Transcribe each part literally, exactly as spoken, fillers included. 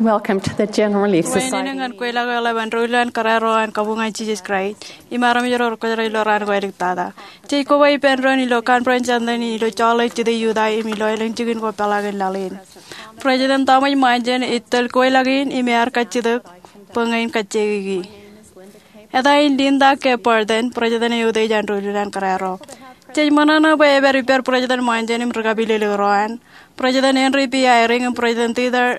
Welcome to the General Relief Society. Wāween ñan kweilọk eḷap an doulul an kōrā ro an kabuñ an Jisōs Kraist im armej ro rekwōjarjar ilo raan ko āliktata. Jej koba ippān doon ilo conference āindein ilo Salt Lake City, Utah im ilo elōñ jikin ko peḷaakin laḷ in. President Thomas Monson ej tōl kweilọk in im ear kajjitōk bwe ña in kajjieiki. Eta in Linda K. Burton, president eo eutiej an doulul an kōrā ro. Jej ṃōṇōṇō bwe epād ippād President Monson im ri kapilōklōk ro an, President Henry B. Eyring im President Theodore,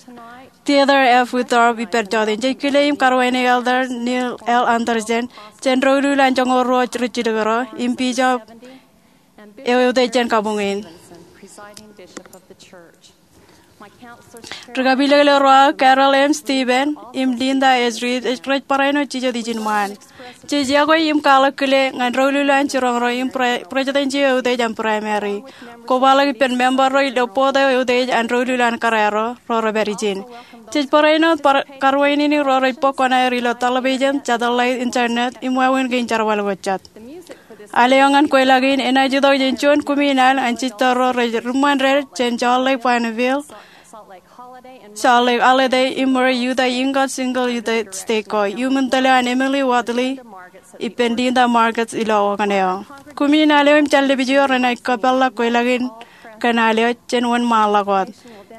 Theodore F. Uchtdorf ippād jọteen. Jej kile im karuwainiki Elder Neil L. Andersen jān doulul an joñoul ruo ri jilkinḷọk im Bishop eo eutiej jān kabuñ in. Ri kapilōklōk ro aō, Carol M. Stevens im Linda S. Reed, rej barāinwōt jijet ijin ṃaan. Jej iọkwe im kwaḷọk kile ñan doulul an jiroñ ro im pre-, president eo eutiej an primary. Kobaḷọk ippān member ro ilo board eo eutiej an doulul an kōrā ro, ro rej pād ijin. Jej barāinwōt bar-, karuwainene ro rej bōk kuṇaer ilo television, satellite, internet, im wāween kein jerbal ko jet. Al eo ñan kweilọk in enaaj itok jān juon kumi in al an sister ro rej riṃṃan dād jān Salt Lake Bonneville, Salt Lake Holiday, im rej Utah Ingalls Shingle Utah State ko, iuṃwin tōl eo an Emily Wadley ippān Linda Marcus ilo okōn eo. Kumi in al eo im jān lepij eo renaaj kōpeḷḷọk kweilọk in kōn al eo jān wōnṃaanḷọk wōt.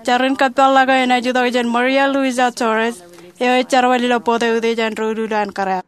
Jar in kōpeḷḷọk eo enaaj itok jān Maria Luisa Torres, eo ej jerbal ilo board eo eutiej an doulul an kōrā.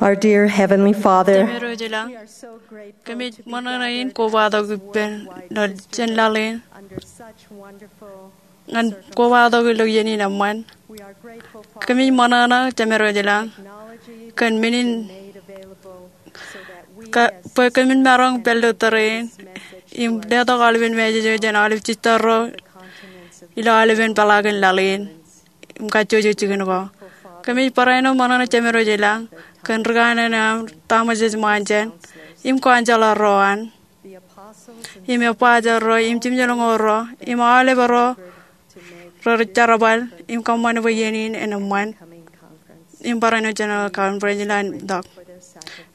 Our dear Heavenly Father, Jemem ro ilañ, kōmij ṃōṇōṇō in kobatok ippān ilo jān laḷ in ñan kobatok ilo iien in eṃṃan. Kōmij ṃōṇōṇō, Jemem ro ilañ, kōn men in ka-, bwe kōmin maroñ pād ilo tōre in im letok aolepen message eo jān aolep sister ro ilo aolepen peḷaakin laḷ in im kajjojo jikin ko. Kōmij barāinwōt ṃōṇōṇō, Jemem ro ilañ, kōn ri kanaan eo aṃ, Thomas S. Monson, im council ro an. im ebbaajor ro, im jimjuonñoul ro, im aolep ro rej jerbal im kōṃṃan bwe iien in en eṃṃan im barāinwōt General Conference ilowaan tok.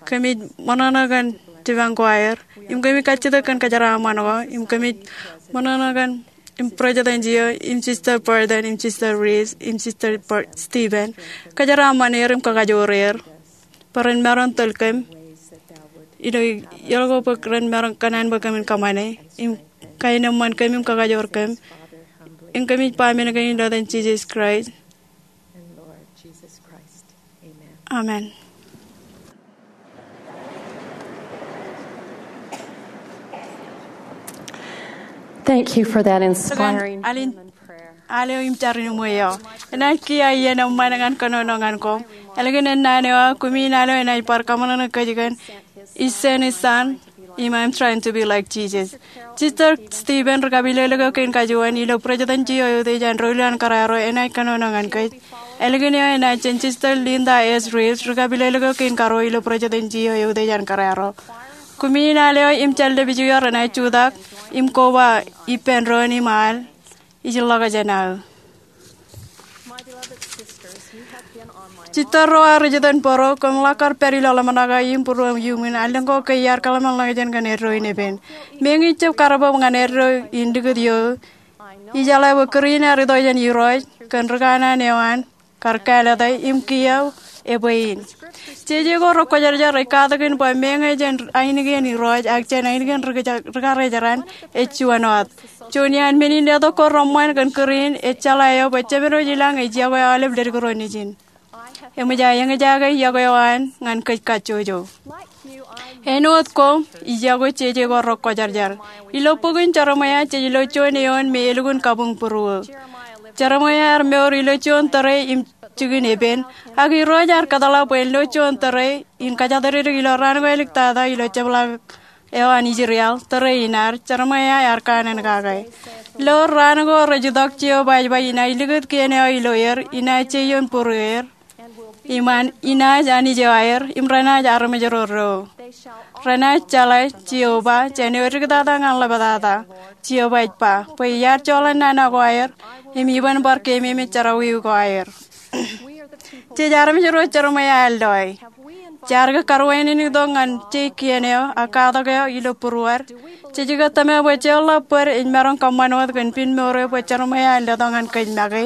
Kōmij ṃōṇōṇō kōn jipañ ko aer, im kōmij kajjitōk kōn kōjeraaṃṃan ko, im kōmij ṃōṇōṇō kōn im President eo, im Sister Burton, im Sister Reese, im Sister Bur-, Stephen. Kōjeraaṃṃan er im kakajoor er bwe ren maroñ tōl kōm ilo iọkwe bwe ren maroñ kōṇaan bwe kōmin kōṃṃane im kaenōṃṃan kōm im kakajoor kōm. Im kōmij ba men kein ilo etan Jisōs Kraist. Amen. Thank you for that inspiring. Alen, aleo im jar in ṃweo. Enaaj kiiō iien eṃṃan ñan kōnono ñan koṃ. Ālikin ennaan eo aō, kumi in aleo enaaj bar kaṃōṇōṇō kōj kōn Ij Sen Isan, im I'm trying to be like Jesus. Sister Stephen ri-kapilōklōk eo kein kajuon ilo Presidency eo eutiej an doulul an kōrā ro enaaj kōnono ñan kōj. Ālikin eo enaaj jān Sister Linda S. Reeves ri-kapilōklōk eo kein karuo ilo Presidency eo eutiej an kōrā ro. Kumi in aleo im jar lepiju eo renaaj jutak im koba ippān doon im al. Ij ḷọk jān aō. Jitōl ro aō ri-jitōnbōro, koṃ ḷak kar pād ilo ḷōmṇak eo im būruōm iuṃwin allōñ ko ke iar kōḷmānḷọkjeṇ kōn eddo in epen. Meñe ij jab kar bōb ñan eddo in likūt ioō, ijeḷā bwe kūr in ear itok jān Irooj kōn ri kanaan eo an kar kālōte im kiiō ebwe in. Jeje ko rekwōjarjar ej katak in bwe meñe jān ainikien Irooj ak jān ainikien ri-, rikarijeran ej juon wōt. Juon iaan men in letok ko reṃṃan kōn kūr in ej jeḷā eo bwe Jemedwōj ilañ ej yokwe aolep ledik ro nejin. Eṃōj aō eñjake yokwe eo an ñan kōj kajjojo. Āinwōt ko, ij yokwe jeje ko rekwōjarjar. Ilo bok in Jeremaia jej lo juon eoon me elukkuun kabuñ būruō. Jeremaia ear mour ilo juon tōre im jikin epen, ak Irooj ear kōtḷọk bwe en lo juon tōre in kōjatdikdik ilo raan ko āliktata ilo jepḷaak eo an Israel, tōre in ad, Jeremaia ear kanaan kake. Lo raan ko rej itok, Jeova ej ba inaaj likūt kien eo ilo er, inaaj jeion būrueer, im inaaj Anij eo aer, im renaaj armej ro do. Renaaj jeḷā Jeova jān eo diktata ñan ḷaptata, Jeova ej ba, bwe iar joḷọk nana ko aer, im iban bar keememej jerọwiwi ko aer. Jej armej ro Jeremaia ear loe. Jaar ke karuwaineneik tok ñan jei kien eo ak katak eo ilo būruod? Jej ke tōmak bwe jeorḷọk bōd ej maroñ kōṃṃan wōt kōn pinmour eo bwe Jeremaia ear letok ñan kōj make?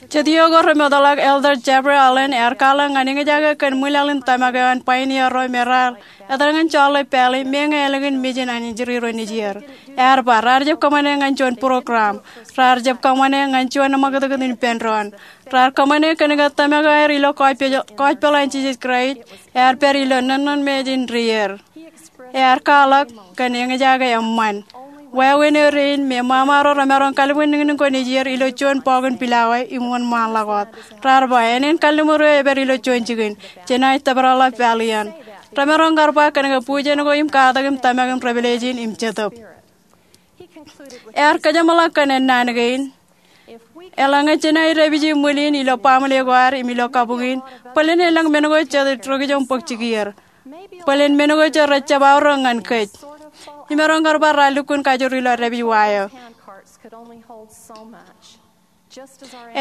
Jet iiō ko remootḷọk, Elder Jeffrey Holland ear kwaḷọk ñan eñjake kōn ṃwilaḷ in tōmak eo an pioneer ro me raar etal ñan Charlotte Valley, meñe ālikin mejān an injury ro nejier. Ear ba, raar jab kōṃṃane ñan juon program. Raar jab kōṃṃane ñan juon ṃakūtkūt in ippān doon. Raar kōṃṃane kōnke tōmak eo aer ilo gospel, gospel an Jisōs Kraist ear pād ilo nōnnōnmej in dier. Ear kwaḷọk kōn eñjake eṃṃan. Wāween eo dein me ṃaṃa ro remaroñ kalbwinniñniñ ko nejier ilo juon bọọk in pilawa im wōnṃaanḷọk wōt. Raar ba, ānen kalliṃur eo epād ilo juon jikin. Jenaaj tōprak ḷọk Valley eṇ. Remaroñ kar ba kōnke bujen ko im katak im tōmak im revelation im Jetōb. Ear kōjeṃḷọk kōn ennaan kein. Eḷaññe jenaaj dāpiji ṃwil in ilo baaṃle ko ad im ilo kabuñ in, bōlen elōñ men ko jej rej itok bōk jikier. Bōlen men ko jej rej jab aorōk ñan kōj. Imaroñ kar ba raar lukkuun kajur ilo dāpij wa eo.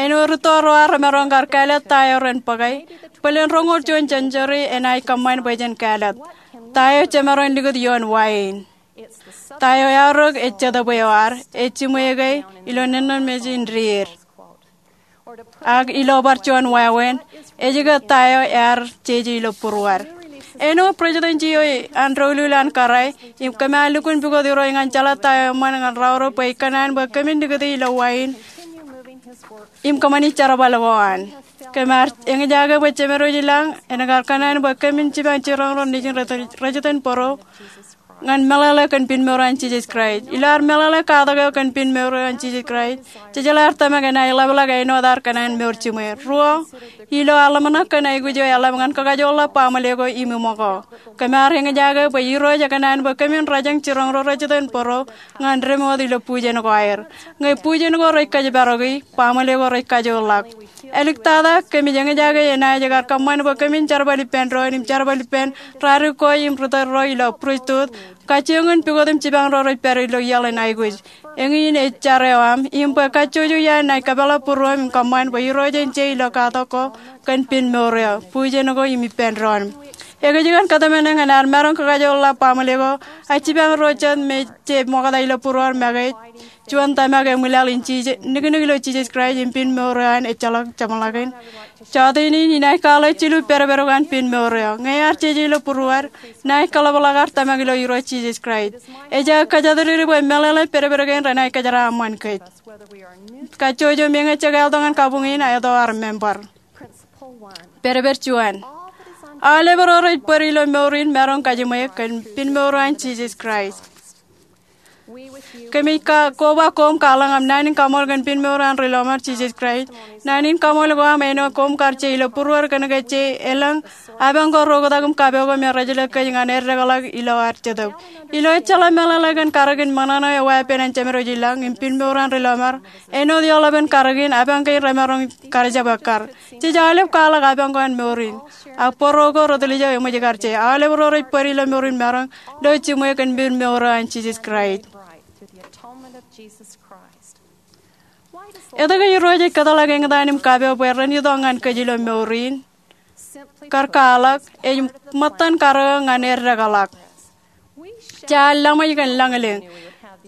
Āinwōt rūtto ro ad remaroñ kar kāālōt ta eo ren bōke, bōlen roñoul juon century enaaj kōṃṃan bwe jen kāālōt. Ta eo jemaroñ likūt ioon wa in? Ta eo eaorōk ej Jetōb eo ad, ej jiṃwe ke ilo nōnnōnmej in dier. Ak ilo bar juon wāween, ej ke ta eo ear jeje ilo būruod? Āinwōt Presidency eo an doulul an kōrā, im kōm ar lukkuun pukot Irooj ñan jeḷā ta eo eṃṃan ñan raoro bwe ij kōṇaan bwe kōmin likūti ilo wa in im kōṃṃani jerbal ko an. Kōm ar eñjake bwe Jemedwōj ilañ en kar kōṇaan bwe kōmin jipañ jiroñ ro nejin rej, rej jitōnbōro ñan meḷeḷe kōn pinmour an Jisōs Kraist. Ilo ad meḷeḷe katak eo kōn pinmour an Jisōs Kraist, jejeḷā ad tōmak enaaj ḷapḷọk āinwōt ad kōṇaan mour jiṃwe. Ruo, ilo ad ḷōmṇak kōn aikuj eo eḷap ñan kakajoorḷọk baaṃle ko im iṃōko, kōm ar eñjake bwe Irooj ekōṇaan bwe kōmin rōjañ jiroñ ro rej jitōnbōro ñan deṃ wōt ilo bujen ko aer. Ñe bujen ko rej kōjparoki, baaṃle ko rej kajoorḷọk. Āliktata, kōmij eñjake enaaj kar kōṃṃan bwe kōmin jerbal ippān doon im jerbal ippān rādik ko im ri tōl ro ilo pristut, kajjioñ in pukot im jipañ ro rej pād ilo iaḷ in aikuj. Eñin ej jar eo aṃ, im bwe kajjojo iaan naaj kōpeḷḷọk būruōm im kōṃṃan bwe Irooj en je ilo katak ko kōn piin mour eo, bujen ko im ippān doon. Ekōjkan kōtmāne ñan ad maroñ kakajoorḷọk baaṃle ko, ak jipañ ro jet me je ṃokta ilo būruod make, juon tōmak eṃwilaḷ in Jisōs, niknik ilo Jisōs Kraist im piin mour eo an ejjeḷọk jeṃḷọkin. Jota in, inaaj kwaḷọk jilu pedped ko an piin mour eo. Ñe ear jeje ilo būruod, naaj kōḷapḷọk ad tōmak ilo Irooj Jisōs Kraist. Ej aō kōjatdikdik bwe meḷeḷe pedped kein renaaj kōjeraaṃṃan kōj, kajjojo meñe jekāltok ñan kabuñ in ak etto ad remember. Pedped juon. Aolep ro rej bōd ilo mour in maroñ kajiṃwe kōn piin mour eo an Jisōs Kraist. Kōmij koba koṃ kwaḷọk aṃ naan in kaṃool kōn piin mour eo an ri lọmọọr Jisōs Kraist. Naan in kaṃool ko aṃ āinwōt koṃ kar je ilo būruod kōnke je elōñ apañ ko rej oktak im kapo ko me rej jelōt kōj ñan eddekḷọk ilo ad Jetōb. Ilo ejjeḷọk meḷeḷe kōn karōk in ṃōṇōṇō eo ear pein an Jemed eo ilañ im piin mour eo an ri lọmọọr, āinwōt eoḷapān karōk in, apañ kein remaroñ kar jab ekkar. Jej aolep kwaḷọk apañ ko an mour in. Ak bōro ko retiljek eṃōj kar je. Aolep ro rej bōd ilo mour in maroñ lo jiṃwe kōn piin mour eo an Jisōs Kraist. Etke Irooj ej kōtḷọk eñtaan im kapo bwe ren itok ñan kōj ilo mour in? Kar kwaḷọk, ej ṃōttan karōk eo ñan eddekḷọk. Jaar laṃōj kōn lañlōñ.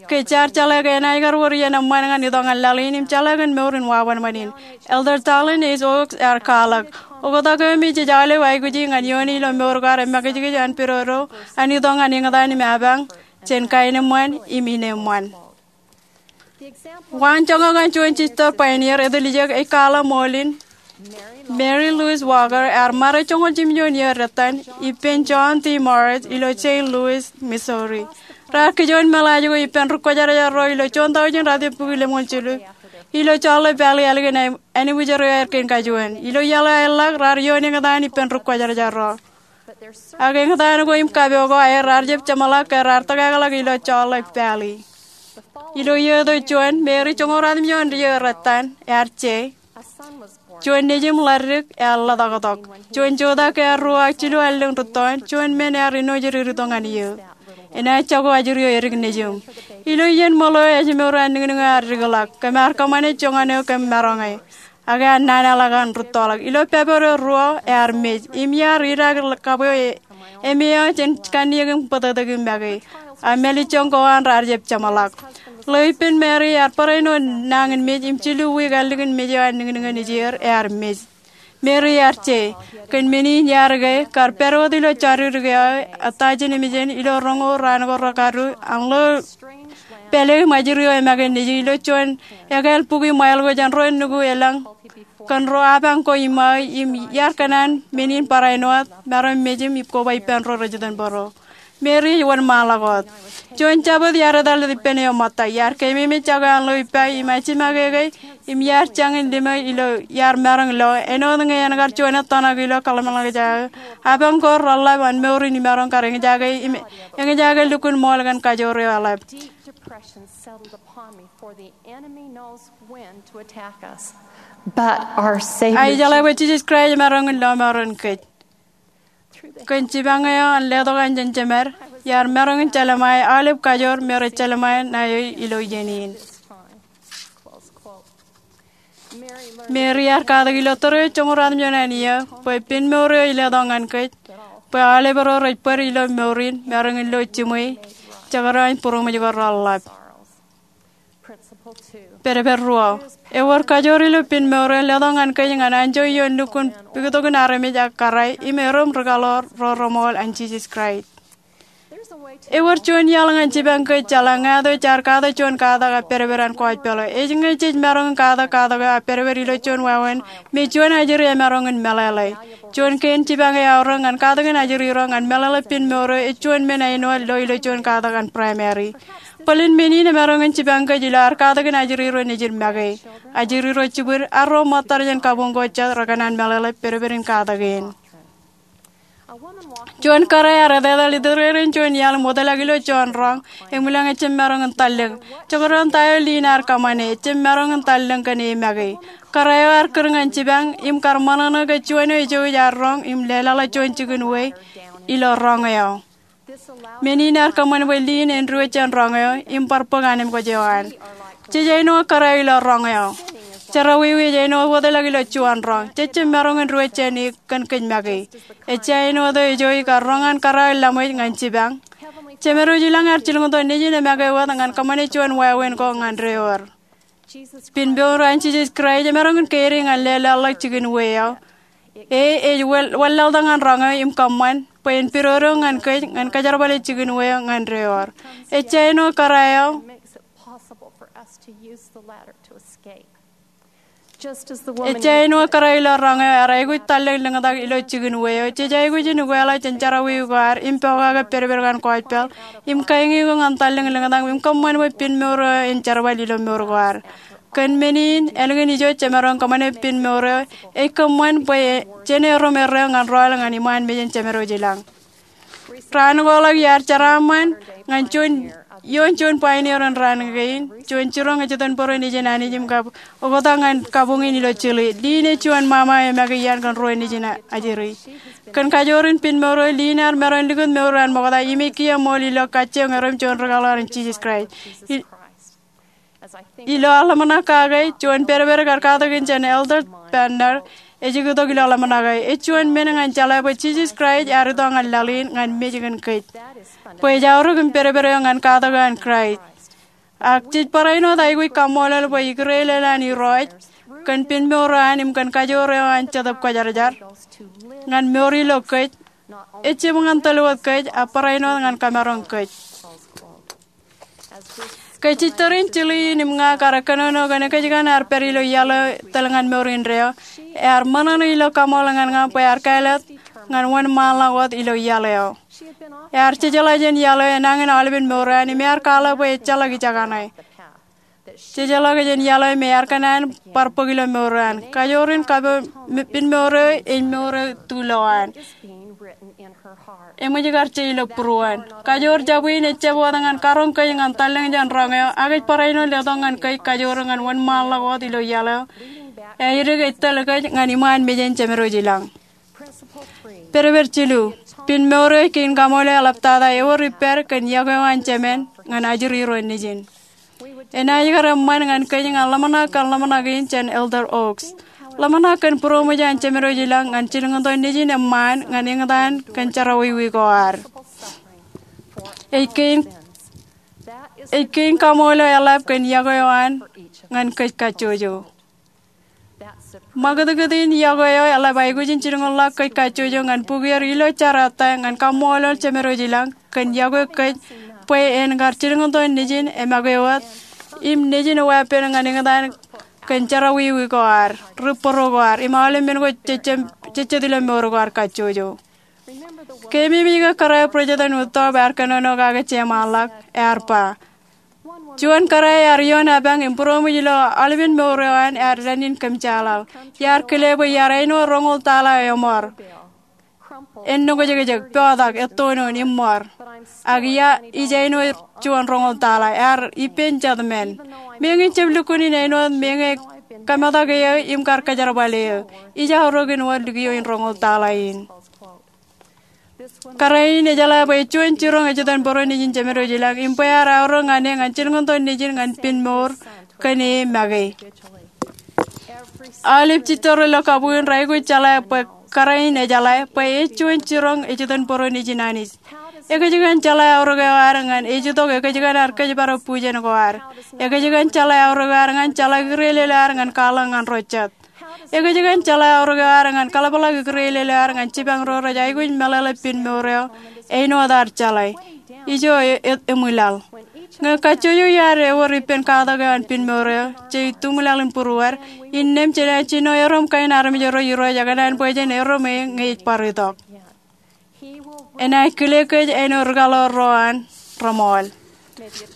Ke jaar jeḷā ke enaaj kar wōr iien eṃṃan ñan itok ñan laḷ in im jeḷā kōn mour in wāween ṃōn in. Elder Dallin H. Oaks ear kwaḷọk, oktak eo me jej aolep aikuji ñan iooni ilo mour ko ad emakijkij an pidodo an itok ñan eñtaan im apañ jān kaenōṃṃan im inōṃṃan. Waanjoñak an juon sister pioneer etiljek ej kwaḷọk ṃool in. Mary Louise Walker ear ṃare joñoul jimjuon iiō dettan ippān John D. Morris ilo Saint Louis, Missouri. Raar kijoon meḷaaj ko ippān ri kwōjarjar ro ilo juon taujin ratimjuon bukwi lemñoul jilu ilo Charlotte Valley ālikin anibwijor eo aer kein kajuon. Ilo iaḷ eo aerḷọk raar ioon eñtaan ippān ri kwōjarjar ro. Ak eñtaan ko im kapo ko aer raar jab jeṃḷọk ke raar tōkakḷọk ilo Charlotte Valley. Ilo iiō eo juon, Mary joñoul ratimjuon iiō dettan, ear je. Juon nejiṃ ḷaddik ear ḷotaktok. Juon jota ke ear ruo ak jilu allōñ rūttoon, juon men ear enooj ri rūtto ñan eō. Enaaj jako ajri eo edik nejiṃ. Ilo iien ṃōḷo eo ājmour an niñniñ eo ear dikḷọk, kōm ar kōṃṃane joñan eo kōm maroñe. Ak ear nana ḷọk an rūttoḷọk. Ilo pāpot eo ruo ear mej. Im iar idaak kabwe eo jān kanniōk im bōtōktōk im make. Ak mālejjoñ ko an raar jab jeṃḷọk. Ḷeo ippān Mary ear barāinwōt nañinmej im jilu wiik ālikin mej eo an niñniñ in ijeer ear mej. Mary ear je. Kōn men in iar ke, kar pād wōt ilo jodikdik eo aō, etaajin emān ilo roñoul raan ko rekadu, an ḷeo pāle im ajri eo emake nejū ilo juon ekāāl bukwi ṃail ko jān ro nukū elōñ kōn ro apañ ko iṃaō, im iar kōṇaan men in barāinwōt maroñ mej im koba ippān ro rej itōn bōro. Mary ej wōnṃaanḷọk wōt. Juon Jabōt iar etal ippān eō ṃōtta, iar keememej jako an ḷeo ippa im ajimake ke, im iar jañin limo ilo iar maroñ lo, āinwōt ñe en kar juon ettōṇak ilo kōḷmānḷọkjeṇ aō. Apañ ko reḷḷap an mour in imaroñ kar eñjake im eñjake lukkuun ṃool kōn kajoor eo eḷap. Ak ijeḷā bwe Jisōs Kraist emaroñ in lọmọọren kōj. Kōn jipañ eo an letok an jān Jemed, iar maroñ in jelṃae aolep kajoor me rej jelṃae ṇae eo ilo iien in. Mary ear katak ilo tōre eo joñoul ratimjuon an iiō bwe piin mour eo ej letok ñan kōj, bwe aolep ro rej bōd ilo mour in maroñ in lo jiṃwe, jekdọọn būroṃōj ko reḷḷap. Pedped ruo. Ewōr kajoor ilo piin mour eo letok ñan kōj ñan anjọ ioon lukkuun piktokun armej ak kōrā im erom ri kaḷoor ro reṃool an Jisōs Kraist. Ewōr juon iaḷ ñan jipañ kōj jeḷā ñāāt eo jaar katak juon katak ak pedped an kōjpeḷ eo. Ej ñe jej maroñ in katak katak eo ak pedped ilo juon wāween, me juon ajri emaroñ in meḷeḷe. Juon kein jipañ eo eaorōk ñan katakin ajri ro ñan meḷeḷe piin mour eo ej juon men āinwōt lo ilo juon katak an primary. Bōlen men in emaroñ in jipañ kōj ilo ad katakin ajri ro nejid make, ajri ro jibwid, ak ro ṃōttar jān kabuñ ko jet rekōṇaan meḷeḷe pedped in katak in. Juon kōrā ear etetal itōrerein juon iaḷ im wōtlọk ilo juon roñ, eṃwilañ ejjab maroñ in tallōñ. Jekdọọn ta eo liin ear kōṃṃane, ejjab maroñ in tallōñ kōn e make. Kōrā eo ear kūr ñan jipañ im kar ṃōṇōṇō ke juon eo ejouj ear roñ im leḷọkḷọk juon jikin wei ilo roñ eo. Men in ear kōṃṃan bwe liin en diwōj jān roñ eo im bar bōk anemkwōj eo an. Jej āinwōt kōrā eo ilo roñ eo. Jerọwiwi ej āinwōt wōtlọk ilo juon roñ. Jej jab maroñ in diwōj jān e kōn kōj make. Ejja āinwōt eo ejouj kar roñ an kōrā eo laṃōj ñan jipañ. Jemedwōj ilañ ear jilkintok Nejin emake wōt ñan kōṃṃane juon wāween ko ñan deor. Pinmour an Jisōs Kraist emaroñ in keidi ñan leḷọkḷọk jikin wei eo. E ej wanlaḷtak ñan roñ eo im kōṃṃan bwe en pidodo ñan kōj ñan kajerbale jikin wei eo ñan deor. Ejja āinwōt kōrā eo. Ejja āinwōt kōrā eo ilo roñ eo ear aikuj tallōñ lōñtak ilo jikin wei eo, jej aikuj in ukeḷọk jān jerọwiwi ko ad im pokake pedped kaṇ kwōj pāl im kaeñe eok ñan tallōñ lōñtak im kōṃṃan bwe pinmour eo en jerbal ilo mour ko ad. Kōn men in, ālikin ijo jemaroñ kōṃṃane pinmour eo, ej kōṃṃan bwe jen erom erreo ñan rọọl ñan iṃaan mejān Jemedwōj ilañ. Raan ko ḷọk iar jeraaṃṃan ñan ioon juon pioneer in raan kein, juon jiroñ ejitōnbōro nejin Anij im kab oktak ñan kabuñ in ilo Chile. Liin ej juon ṃaṃa eo make iaan kōn ruo nejin ajri. Kōn kajoor in pinmour eo, liin ear maroñ likūt mour eo an ṃokta im ej kiiō ṃool ilo kajjioñ erom juon rikaḷoor an Jisōs Kraist. Ilo aō ḷōmṇak kake, juon pedped kar katakin jān Elder Bednar ej uktok ilo ḷōmṇak eo. Ej juon men ñan jeḷā bwe Jisōs Kraist ear itok ñan laḷ in ñan mej kōn kōj, bwe ej aorōk im pedped eo ñan katak eo an Kraist. Ak jej barāinwōt aikuj kaṃṃoolol bwe ikūrelel an Irooj kōn pinmour eo an im kōn kajoor eo an Jetōb Kwōjarjar ñan mour ilo kōj, ejjab ñan tōl wōt kōj, ak barāinwōt ñan kamaroñ kōj. Ke jitōrin Chile in im ña kar kōnono kōn ekōjkan ear pād ilo iaḷ eo tōl ñan mour indeeo, ear ṃōṇōṇō ilo kaṃool ñan ña bwe ear kāālōt ñan wōnṃaanḷọk wōt ilo iaḷ eo. Ear jejeḷā jān iaḷ eo enañin aolepen mour eo an im ear kwaḷọk bwe ejjeḷọk ijekaṇe. Jejeḷọk jān iaḷ eo me ear kōṇaan bar bōk ilo mour eo an. Kajoor in kapo pinmour eo ej mour eo tulo an. Eṃōj kar je ilo būruon. Kajoor jab in ejjab wōt ñan karoñ kōj ñan tallōñ jān roñ eo, ak ej barāinwōt letok ñan kōj kajoor ñan wōnṃaanḷọk wōt ilo iaḷ eo eadik ej tōl kōj ñan iṃaan mejān Jemedwōj ilañ. Pedped jilu, pinmour eo ej kein kaṃool eo eḷaptata ewōr ippād kōn yokwe eo an Jemān ñan ajri ro nejin. Enaaj kar eṃṃan ñan kōj ñan ḷōmṇak kōn ḷōmṇak in jān Elder Oaks. Ḷōmṇak kōn būroṃōj an Jemedwōj ilañ ñan jilkintok Nejin eṃṃaan ñan eñtaan kōn jerọwiwi ko ad. Ej kein, ej kein kaṃool eo eḷap kōn yokwe eo an ñan kōj kajjojo. Ṃakūtkūt in yokwe eo eḷap aikuj in jilkinḷọk kōj kajjojo ñan bukier ilo jar ettā ñan kaṃṃoolol Jemedwōj ilañ kōn yokwe kōj bwe en kar jilkintok Nejin emake wōt im Nejin eo epen ñan eñtaan kōn jerọwiwi ko ad, ri bōro ko ad, im aolep men ko jejjet ilo mour ko ad kajjojo. Keememej ke kōrā eo President Uchtdorf ear kōnono kake jeṃaanḷọk, ear ba, juon kōrā ear ioon apañ im būroṃōj ilo aolepen mour eo an ear dān in kōmjaḷaḷ. Iar kile bwe iar āinwōt roñoul taḷa eo eṃor. En nokjekjek, potak, ettonon, im ṃor. Ak ia ij āinwōt juon roñoul taḷa, ear ippān jet men. Meñe ij jab lukkuun in āinwōt meñe kametak eō im kar kōjerbal eō, ij aorōk in wōt likio in roñoul taḷa in. Kōrā in ejeḷā bwe ej juon jiroñ ejitōnbōro nejin Jemedwōj ilañ im bwe ear aorōk ñan e ñan jilkintok Nejin ñan pinmour kōn e make. Aolep jitōr ilo kabuñ in raikuj jeḷā bwe kōrā in ejeḷā bwe ej juon jiroñ ejitōnbōro nejin Anij. Ekōjkan jeḷā aorōk eo ad ñan ej itok ekōjkan ad kōjparok bujen ko ad. Ekōjkan jeḷā aorōk eo ad ñan jeḷā ikūrelel eo ad ñan kwaḷọk ñan ro jet. Ekōjkan jeḷā aorōk eo ad ñan kaḷapḷọk ikūrelel eo ad ñan jipañ ro rej aikuj meḷeḷe pinmour eo āinwōt ad jeḷā. Ijo e, e, eṃwilaḷ. Ñe kajjojo iaad ewōr ippān katak eo an pinmour eo, je ituṃwilaḷ in būruod, innām jenaaj jino erom kain armej ro Irooj ekōṇaan bwe jen erom e ñe ej bar itok. Enaaj kile kōj āinwōt rikaḷoor ro an reṃool.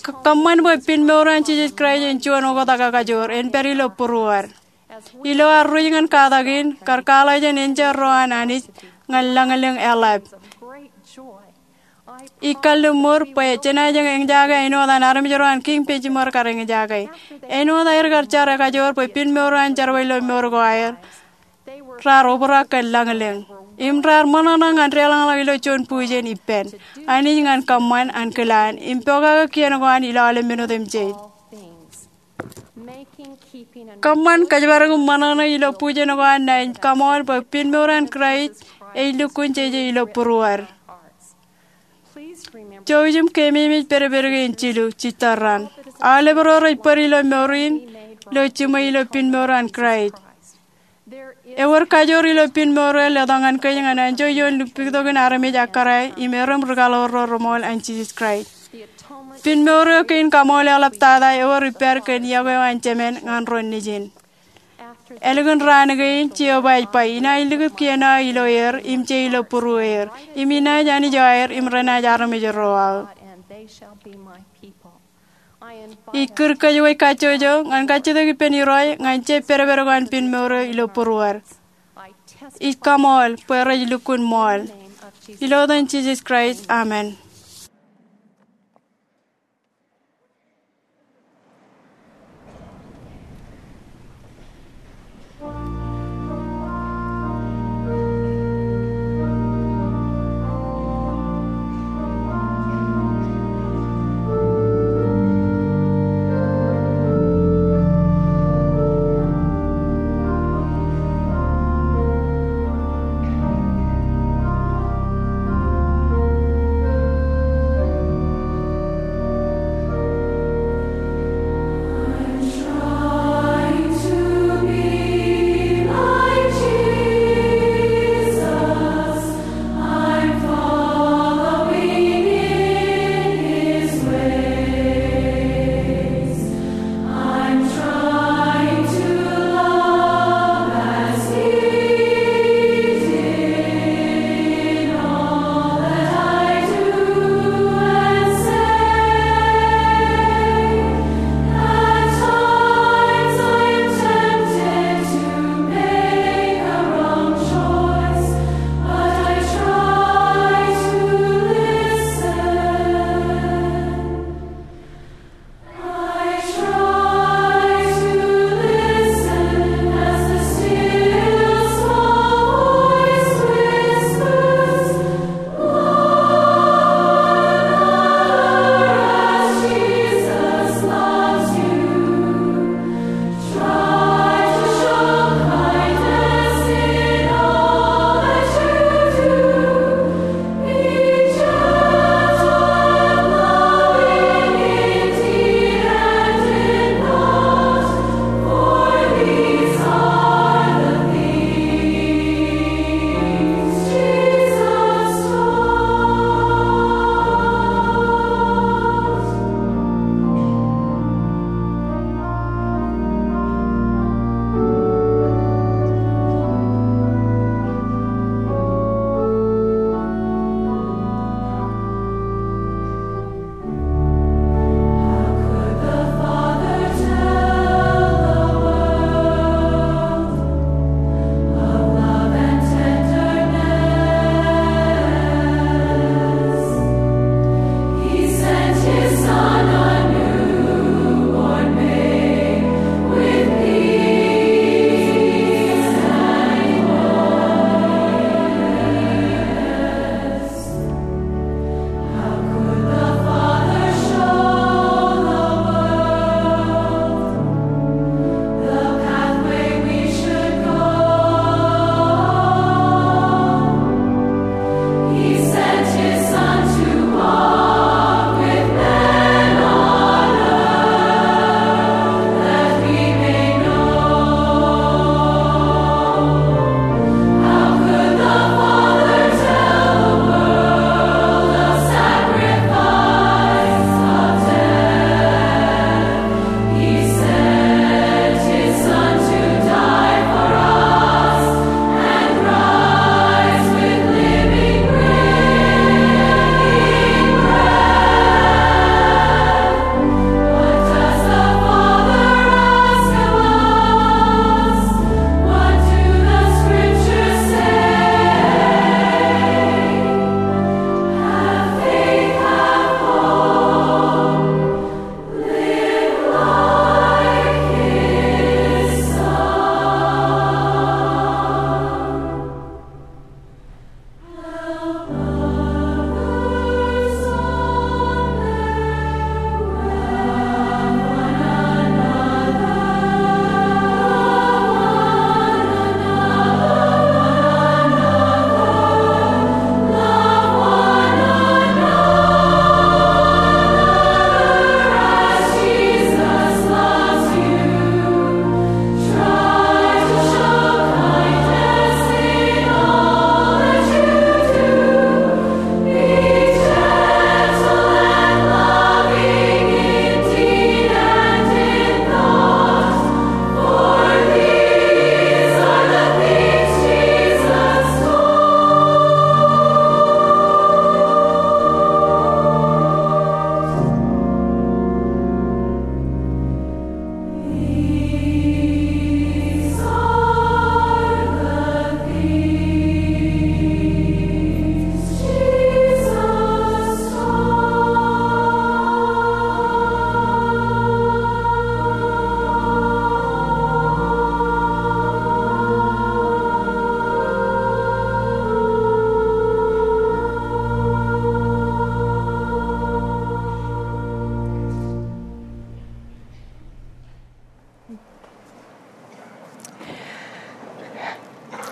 Kōṃṃan bwe pinmour an Jisōs Kraist en juon oktak ak kajoor, en pād ilo būruod. Ilo ad ruj ñan katak in, kar kwaḷọk jān enjeḷ ro an Anij, ñan lañlōñ eḷap. Ij kalliṃur bwe jenaaj eñjake āinwōt an armej ro an Kiiñ Benjamin kar eñjake. Āinwōt aer kar jar ekajoor bwe piin mour eo an jerbal ilo mour ko aer, raar obrak kōn lañlōñ im raar ṃōṇōṇō ñan deḷọñḷọk ilo juon bujen ippān. Anij ñan kōṃṃan an kilaan im pokake kien ko an ilo aolep men otemjej. Kōṃṃan kōjparok im ṃōṇōṇō ilo bujen ko an naaj kaṃool bwe piin mour an Kraist ej lukkuun jeje ilo būruod. Jouj im keememej pedped kein jilu jitōrran. Aolep ro rej bōd ilo mour in ilo jiṃwe ilo piin mour an Kraist. Ewōr kajoor ilo piin mour eo letok ñan kōj ñan anjọ ioon lukkuun itok in armej ekkar im erom ri kaḷoor ro reṃool an Jisōs Kraist. Piin mour eo kein kaṃool eḷaptata ewōr ippād kōn iọkwe eo an Jemān ñan ro nejin. Ālikin raan kein, Jeova ej ba, inaaj likūt kien aō ilo er im je ilo būrueer, im inaaj Anij eo aer im renaaj armej ro aō. Ij kūr kōjwōj kajjojo ñan kajjitōk ippān Irooj ñan je pedped ko an piin mour eo ilo būruod. Ij kaṃool bwe rej lukkuun ṃool. Ilo etan Jisōs Kraist, amen.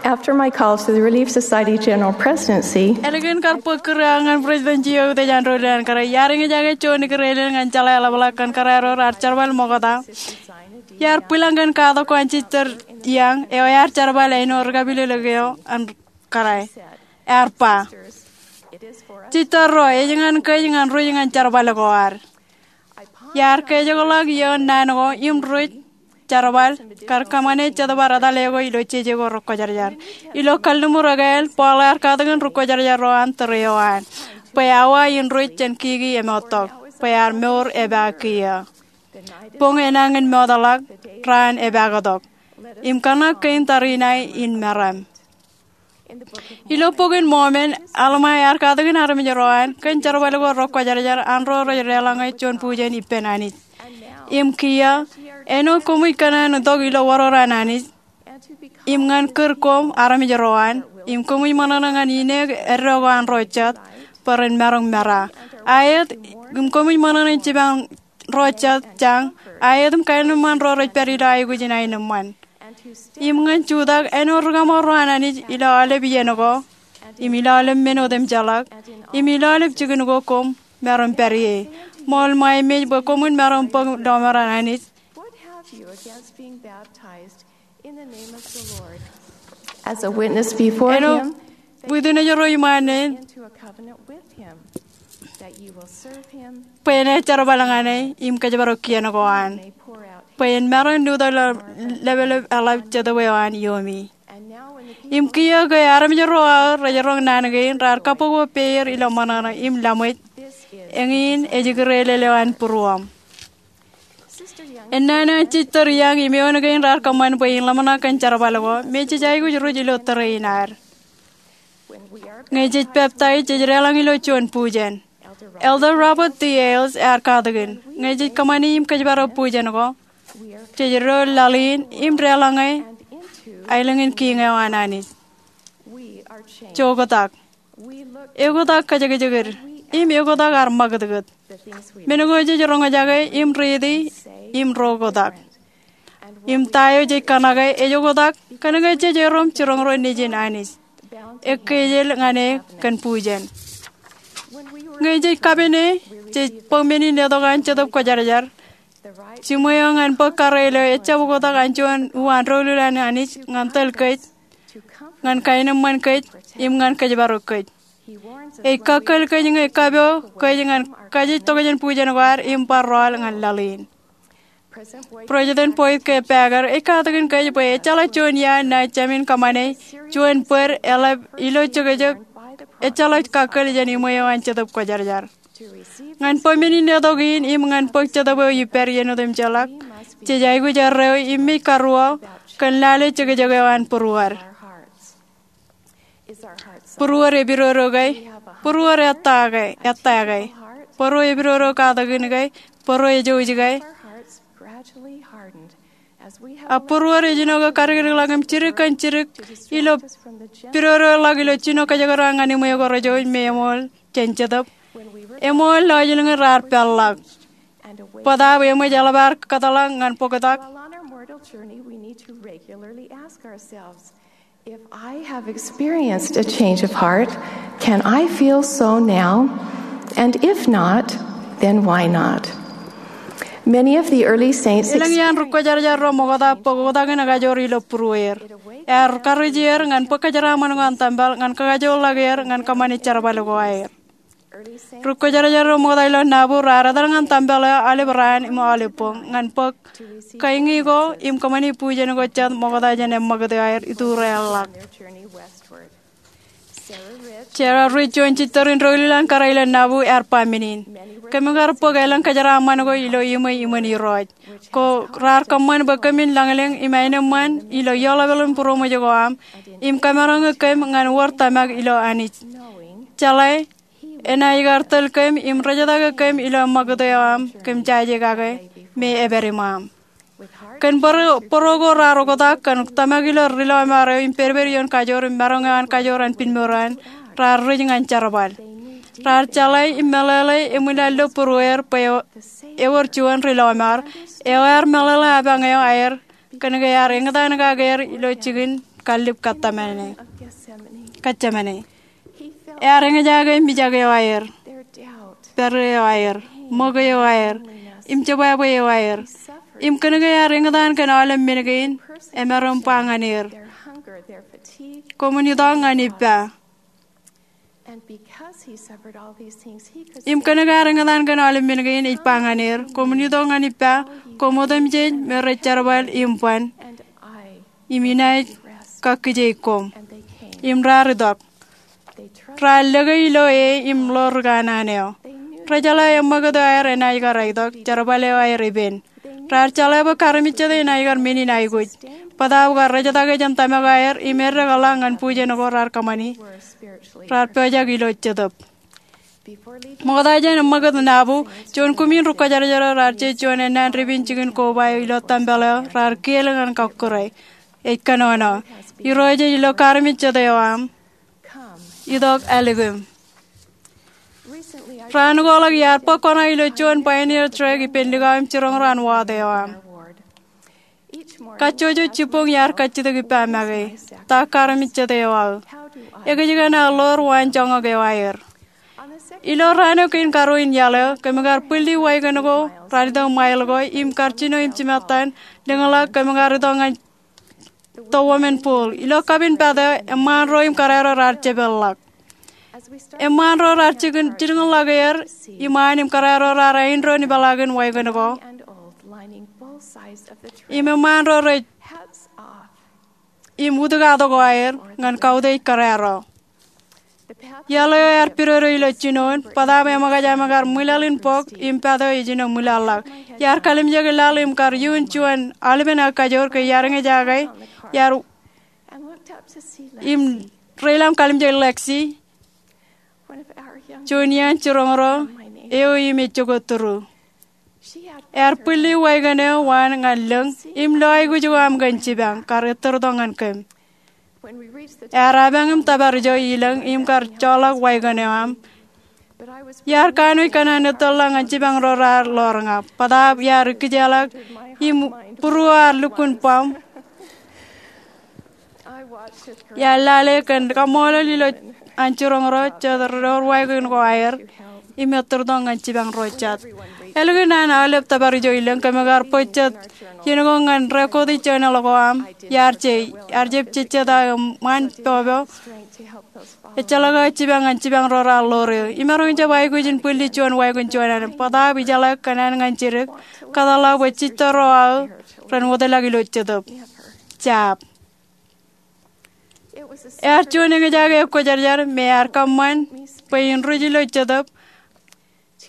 After my call to the Relief Society General Presidency, ālikin kar bōk kūr eo aō ñan President Jio Eutiej an Doulul an Kōrā, iar eñjake juon ikūrelel ñan jeḷā ḷapḷọk kōn kōrā ro raar jerbal ṃokta. Iar bwilōñ kōn katak ko an Sister Young eo ear jerbal āinwōt rikapilōklōk eo an kōrā. Ear ba, Sister ro, ej ñan kōj ñan ruj ñan jerbal ko ad. Iar kejekḷọk iioon naan ko im ruj, jerbal, kar kōṃṃane Jetōb ad etale ko ilo jeje ko rekwōjarjar. Ilo Kalliṃur Ekāāl, Paul ear katakin rekwōjarjar ro an tōre eo an bwe awa in ruj jān kiki emoottok, bwe ear mour epaak kiiō. Boñ enañin mootḷọk, raan epaktok. Im kōṇak kein tariṇae in meram. Ilo Bok in Mormon, Alma ear katakin armej ro an kōn jerbal ko rekwōjarjar an ro rej deḷọñe juon bujen ippān Anij. Im kiiō, āinwōt koṃij kōṇaan itok ilo wōror an Anij, im ñan kūr koṃ armej ro an, im koṃij ṃōṇōṇō ñan ineek eddo ko an ro jet, bwe ren maroñ mera. Aet, im koṃij ṃōṇōṇō jipañ ro jet jañ, aet im kaenōṃṃan ro rej pād ilo aikuj in aenōṃṃan. Im ñan jutak āinwōt rikaṃo ro an Anij ilo aolep iien ko, im ilo aolep men otemjeḷọk, im ilo aolep jikin ko koṃ maroñ pād ie. Ṃool ṃweo im ej bwe koṃwin maroñ bōk lọmọọr an Anij. What have you against being baptized in the name of the Lord? As a witness before him, bwe in ej ro iṃaan neen, into a covenant with him, that you will serve him, bwe en jerbal ñan e im kōjparok kien ko an, bwe en maroñ lutōk ḷapḷap eḷap Jetōb eo an iiomi. Im kiiō ke armej ro aō rej roñ naan kein, raar kabbokbok peier ilo ṃōṇōṇō im laṃōj, eñin ej ikūrelel eo an būruōṃ. Ennaan eo an Sister Young im eoon kein raar kōṃṃan bwe in ḷōmṇak kōn jerbal ko, me jej aikuj ruj ilo tōre in ad. Ñe jej peptaij, jej deḷọñ ilo juon bujen. Elder Robert D. Hales ear katakin, ñe jej kōṃṃani im kōjparok bujen ko, jej do laḷ in im deḷọñe aelōñ in kiiñ eo an Anij. Joktak. Eoktak kajekjekid, im eoktak ar ṃakūtkūt. Men ko jej roñjake im riiti im ro oktak. Im ta eo jej kōṇake ej oktak, kōnke jej erom jiroñ ro nejin Anij. Ekkejel ñan e kōn bujen. Ñe jej kapene, jej bōk men in letok an Jetōb Kwōjarjar. Jiṃwe eo ñan bōk karreoil eo ejjab oktak an juon uwaan doulul an Anij ñan tōl kōj, ñan kaenōṃṃan kōj, im ñan kōjparok kōj. Ej kakkōl kōj ñe kōpooj kōj ñan kajjitōk jān bujen ko ad im bar rọọl ñan laḷ in. President Boyd K. Packer ej katakin kōj bwe ejjeḷọk juon iaan naaj jāmin kōṃṃane juon bōd eḷap ilo jokjok ejjeḷọk kakkōl jān iṃwe eo an Jetōb Kwōjarjar. Ñan bōk men in letok in im ñan bōk Jetōb eo ippād iien otemjeḷọk, jej aikuj erreo im mej karuo kōn lale jokjok eo an būruod. Būruod epidodo ke? Būruod ettā ke? Bōro epidodo katakin ke? Bōro ejouj ke? Ak būruod ej jino ke kadikdikḷọk im jidik kōn jidik ilo pidodoḷọk ilo jino kōjekdọọn ñan iṃwe ko rejouj me eṃool jān Jetōb. Eṃool lọjilñin raar peḷḷọk. Bōtaab eṃōj eḷap ad kōtḷọk ñan bōktak. If I have experienced a change of heart, can I feel so now? And if not, then why not? Many of the early saints elōñ iaan ri-kwōjarjar ro ṃokta bōk oktak in ekajoor ilo būrueir. Ear karuj er ñan bōk kōjeraaṃṃan ko an tempel ñan kakajoorḷọk er ñan kōṃṃane jerbal ko aer. Ri-kwōjarjar ro ṃokta ilo Nauvoo raar etal ñan tempel eo aolep raan im aolep boñ ñan bōk kañin ko im kōṃṃane bujen ko jet ṃokta jān eṃṃakūt eo aer itureḷọk. Sarah Rich, juon sister in doulul an kōrā ilo Nauvoo, ear ba men in, kōm kar bōk elōñ kōjeraaṃṃan ko ilo iṃwe iṃōn Irooj. Ko raar kōṃṃan bwe kōmin lañlōñ im aenōṃṃan ilo ioḷapḷap in būroṃōj ko aṃ im kōmaroñe kōm ñan wōr tōmak ilo Anij. Jeḷā enaaj kar tōl kōm im rejatake kōm ilo eṃṃakūt eo aṃ kōm jaje kake me epād iṃaaṃ. Kōn bōro, bōro ko raar oktak kōn tōmak ilo ri lọmọọr eo im pedped ioon kajoor im maroñ eo an kajoor an pinmour an, raar ruj ñan jerbal. Raar jeḷā im meḷeḷe eṃwilaḷ ilo būrueir bwe ewōr juon ri lọmọọr eo ear meḷeḷe apañ eo aer kōnke ear eñtaan kake er ilo jikin kallib Getsemane. Ear eñjake mijak eo aer, pād eo aer, ṃōk eo aer, im jebwābwe eo aer. Im kōnke ear eñtaan kōn aolep men kein, emaroñ ba ñan er, koṃwin itok ñan ippa. Im kōnke ear eñtaan kōn aolep men kein, ej ba ñan er, koṃwin itok ñan ippa, koṃ otemjej me rej jerbal im ban, im inaaj kakkije koṃ. Im raar itok. Raar lōke ilo e im lo ri kanaan eo. Rejeḷā eṃṃakūt eo aer enaaj kar aitok, jerbal eo aer ippān. Raar jeḷā bwe karmejjete enaaj kar men in aikuj. Bōtaab kar rejetake jān tōmak aer im eddekḷọk ñan bujen ko raar kōṃṃani. Raar pojak ilo jetōb. Ṃokta jān eṃṃakūt nabōb, juon kumin ri kwōjarjar eo raar je juon ennaan dipin jikin koba eo ilo tempel eo raar kiel ñan kọkkure. Ej kōnono, Irooj ej lo karmejjete eo aṃ. Itok ālikin. Raan ko ḷọk iar bōk koṇa ilo juon pioneer trek ippān likao im jiroñ ro an ward eo aṃ. Kajjojo jibboñ iar kajjitōk ippa make, ta karmejjete eo aō? Ekōjkan aō ḷoor waan joñak eo aer? Ilo raan eo kein karuo in iaḷ eo, kōm kar bwilli waikōn ko raar itok ṃail ko im kar jino im jimattan, lōñḷọk kōm kar itok ñan the women pool. Ilo kapin pād eo, eṃṃaan ro im kōrā ro raar jepeḷḷọk. Eṃṃaan ro raar jilkinḷọk er iṃaan im kōrā ro raar āindein ipeḷaakin waikōn ko. Im eṃṃaan ro rej im utkato ko aer ñan kautiej kōrā ro. Iaḷ eo ear pidodo ilo jinoin, bōtaab eṃōkaj aṃ kar ṃwilaḷ in bok im pād eo ej jino ṃwilaḷḷọk. Iar kalimjeke laḷ im kar iuun juon aolepen aō kajoor ke iar eñjake, iar im reilaḷ im kalimjek Lexi, juon iaan jiroñ ro eo im ej jokwe tūru. Ear bwilli waikōn eo waan ñan lōñ im lo aikuj ko aṃ kōn jipañ, kar ettōrtok ñan kōm. Ear apañ im tōpar ijo ilōñ im kar joḷọk waikōn eo aṃ, iar kanooj kōn an ettōrḷọk ñan jipañ ro raar ḷoor ña. Bōtaab iar ikkijjeḷọk im būruo ear lukkuun bōm. Iar lale kōn kaṃṃoolol ilo an jiroñ ro jet ri door waikōn ko aer im ettōrtok ñan jipañ ro jet. Ālikin an aolep tōpar ijo ilōñ, kōm kar bōk jet iien ko ñan record ijin journal ko aṃ. Iar je, iar jab jejjet aō eṃṃan popo. Ejjeḷọk aō jipañ ñan jipañ ro raar ḷoor eō. Imaroñ jab aikuj in bwilli juon waikōn juon alen. Bōtaab ijeḷā kōn an ñan jidik, kōtḷọk bwe jitōl ro aō ren wōtlọk ilo jetōb. Jab. Ear juon eñjake kwōjarjar me ear kōṃṃan bwe in ruj ilo jetōb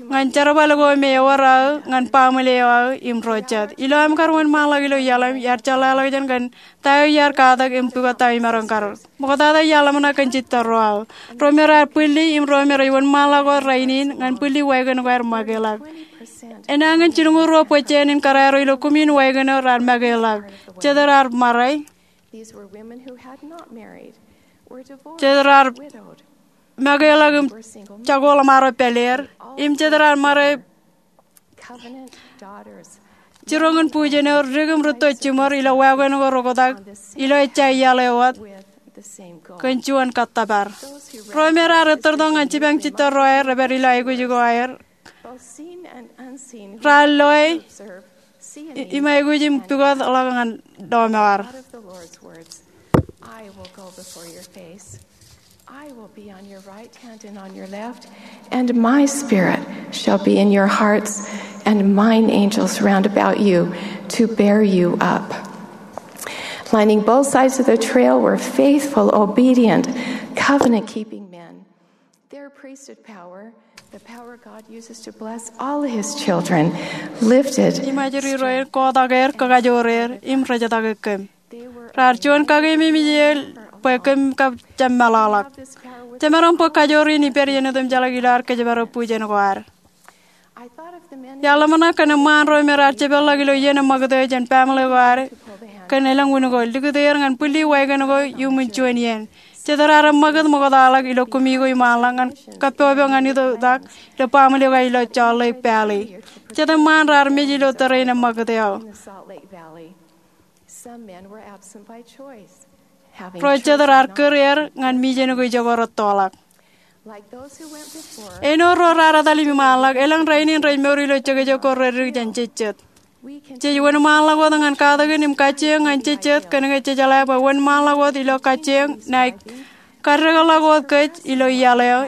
ñan jerbal ko me ewōr aō ñan baaṃle eo aō im ro jet. Ilo aṃ kar wōnṃaanḷọk ilo iaḷ eo aṃ, iar jeḷāḷọkjeṇ kōn ta eo iar katak im pukot ta eo imaroñ kar. Ṃoktata iar ḷōmṇak kōn jitōl ro aō. Ro me raar bwilli im ro me rej wōnṃaanḷọk wōt rainin ñan bwilli waikōn ko aer makeḷọk. Enañin jilñuul ruo bōjjāān in kōrā ro ilo kumin waikōn eo raar makeḷọk. Jet raar ṃare. Jet raar makeḷọk im jako ḷōṃaro pāleer. Im jet raar ṃare. Jiroñ in bujen eo, dik im rūtto jiṃor ilo waikōn ko rekwotak ilo ejja iaḷ eo wōt kōn juon kōttōpar. Ro me raar ettōrtok ñan jipañ jitōl ro aer rej pād ilo aikuj ko aer. Raar loe i-, im aikuj im pukot ḷọk ñan doṃ eo ad. I will be on your right hand and on your left, and my spirit shall be in your hearts, and mine angels round about you to bear you up. Lining both sides of the trail were faithful, obedient, covenant-keeping men. Their priesthood power, the power God uses to bless all his children, lifted. Im ajri ro en kotak er, kakajoor er, im rejetake kōm. Raar juon kakememej er bwe kōm kab jab meḷọkḷọk. Jemaroñ bōk kajoor in ippād iien otemjeḷọk ilo ad kōjparok bujen ko ad. Iar ḷōmṇak kōn eṃṃaan ro me raar jepeḷḷọk ilo iien eṃṃakūt eo jān baaṃle ko ad kōn elōñ wūn ko, likūt er ñan bwilli waikōn ko iuṃwin juon iien. Jet raar eṃṃakūt ṃoktaḷọk ilo kumi ko iṃaanḷọk ñan kappok eo ñan itok ilo baaṃle ko ilo Salt Lake Valley. Jet eṃṃaan raar mej ilo tōre in eṃṃakūt eo. Some men were absent by choice. Ro jet raar kūr er ñan mijen ko ijoko rettoḷọk. Āinwōt ro raar etal im iṃaanḷọk, elōñ rainin rej mour ilo jekjek ko reddik jān jejjet. Jej wōnṃaanḷọk wōt ñan katakin im kajjioñ ñan jejjet kōnke jejeḷā bwe wōnṃaanḷọk wōt ilo kajjioñ ṇae kaddekḷọk wōt kōj ilo iaḷ eo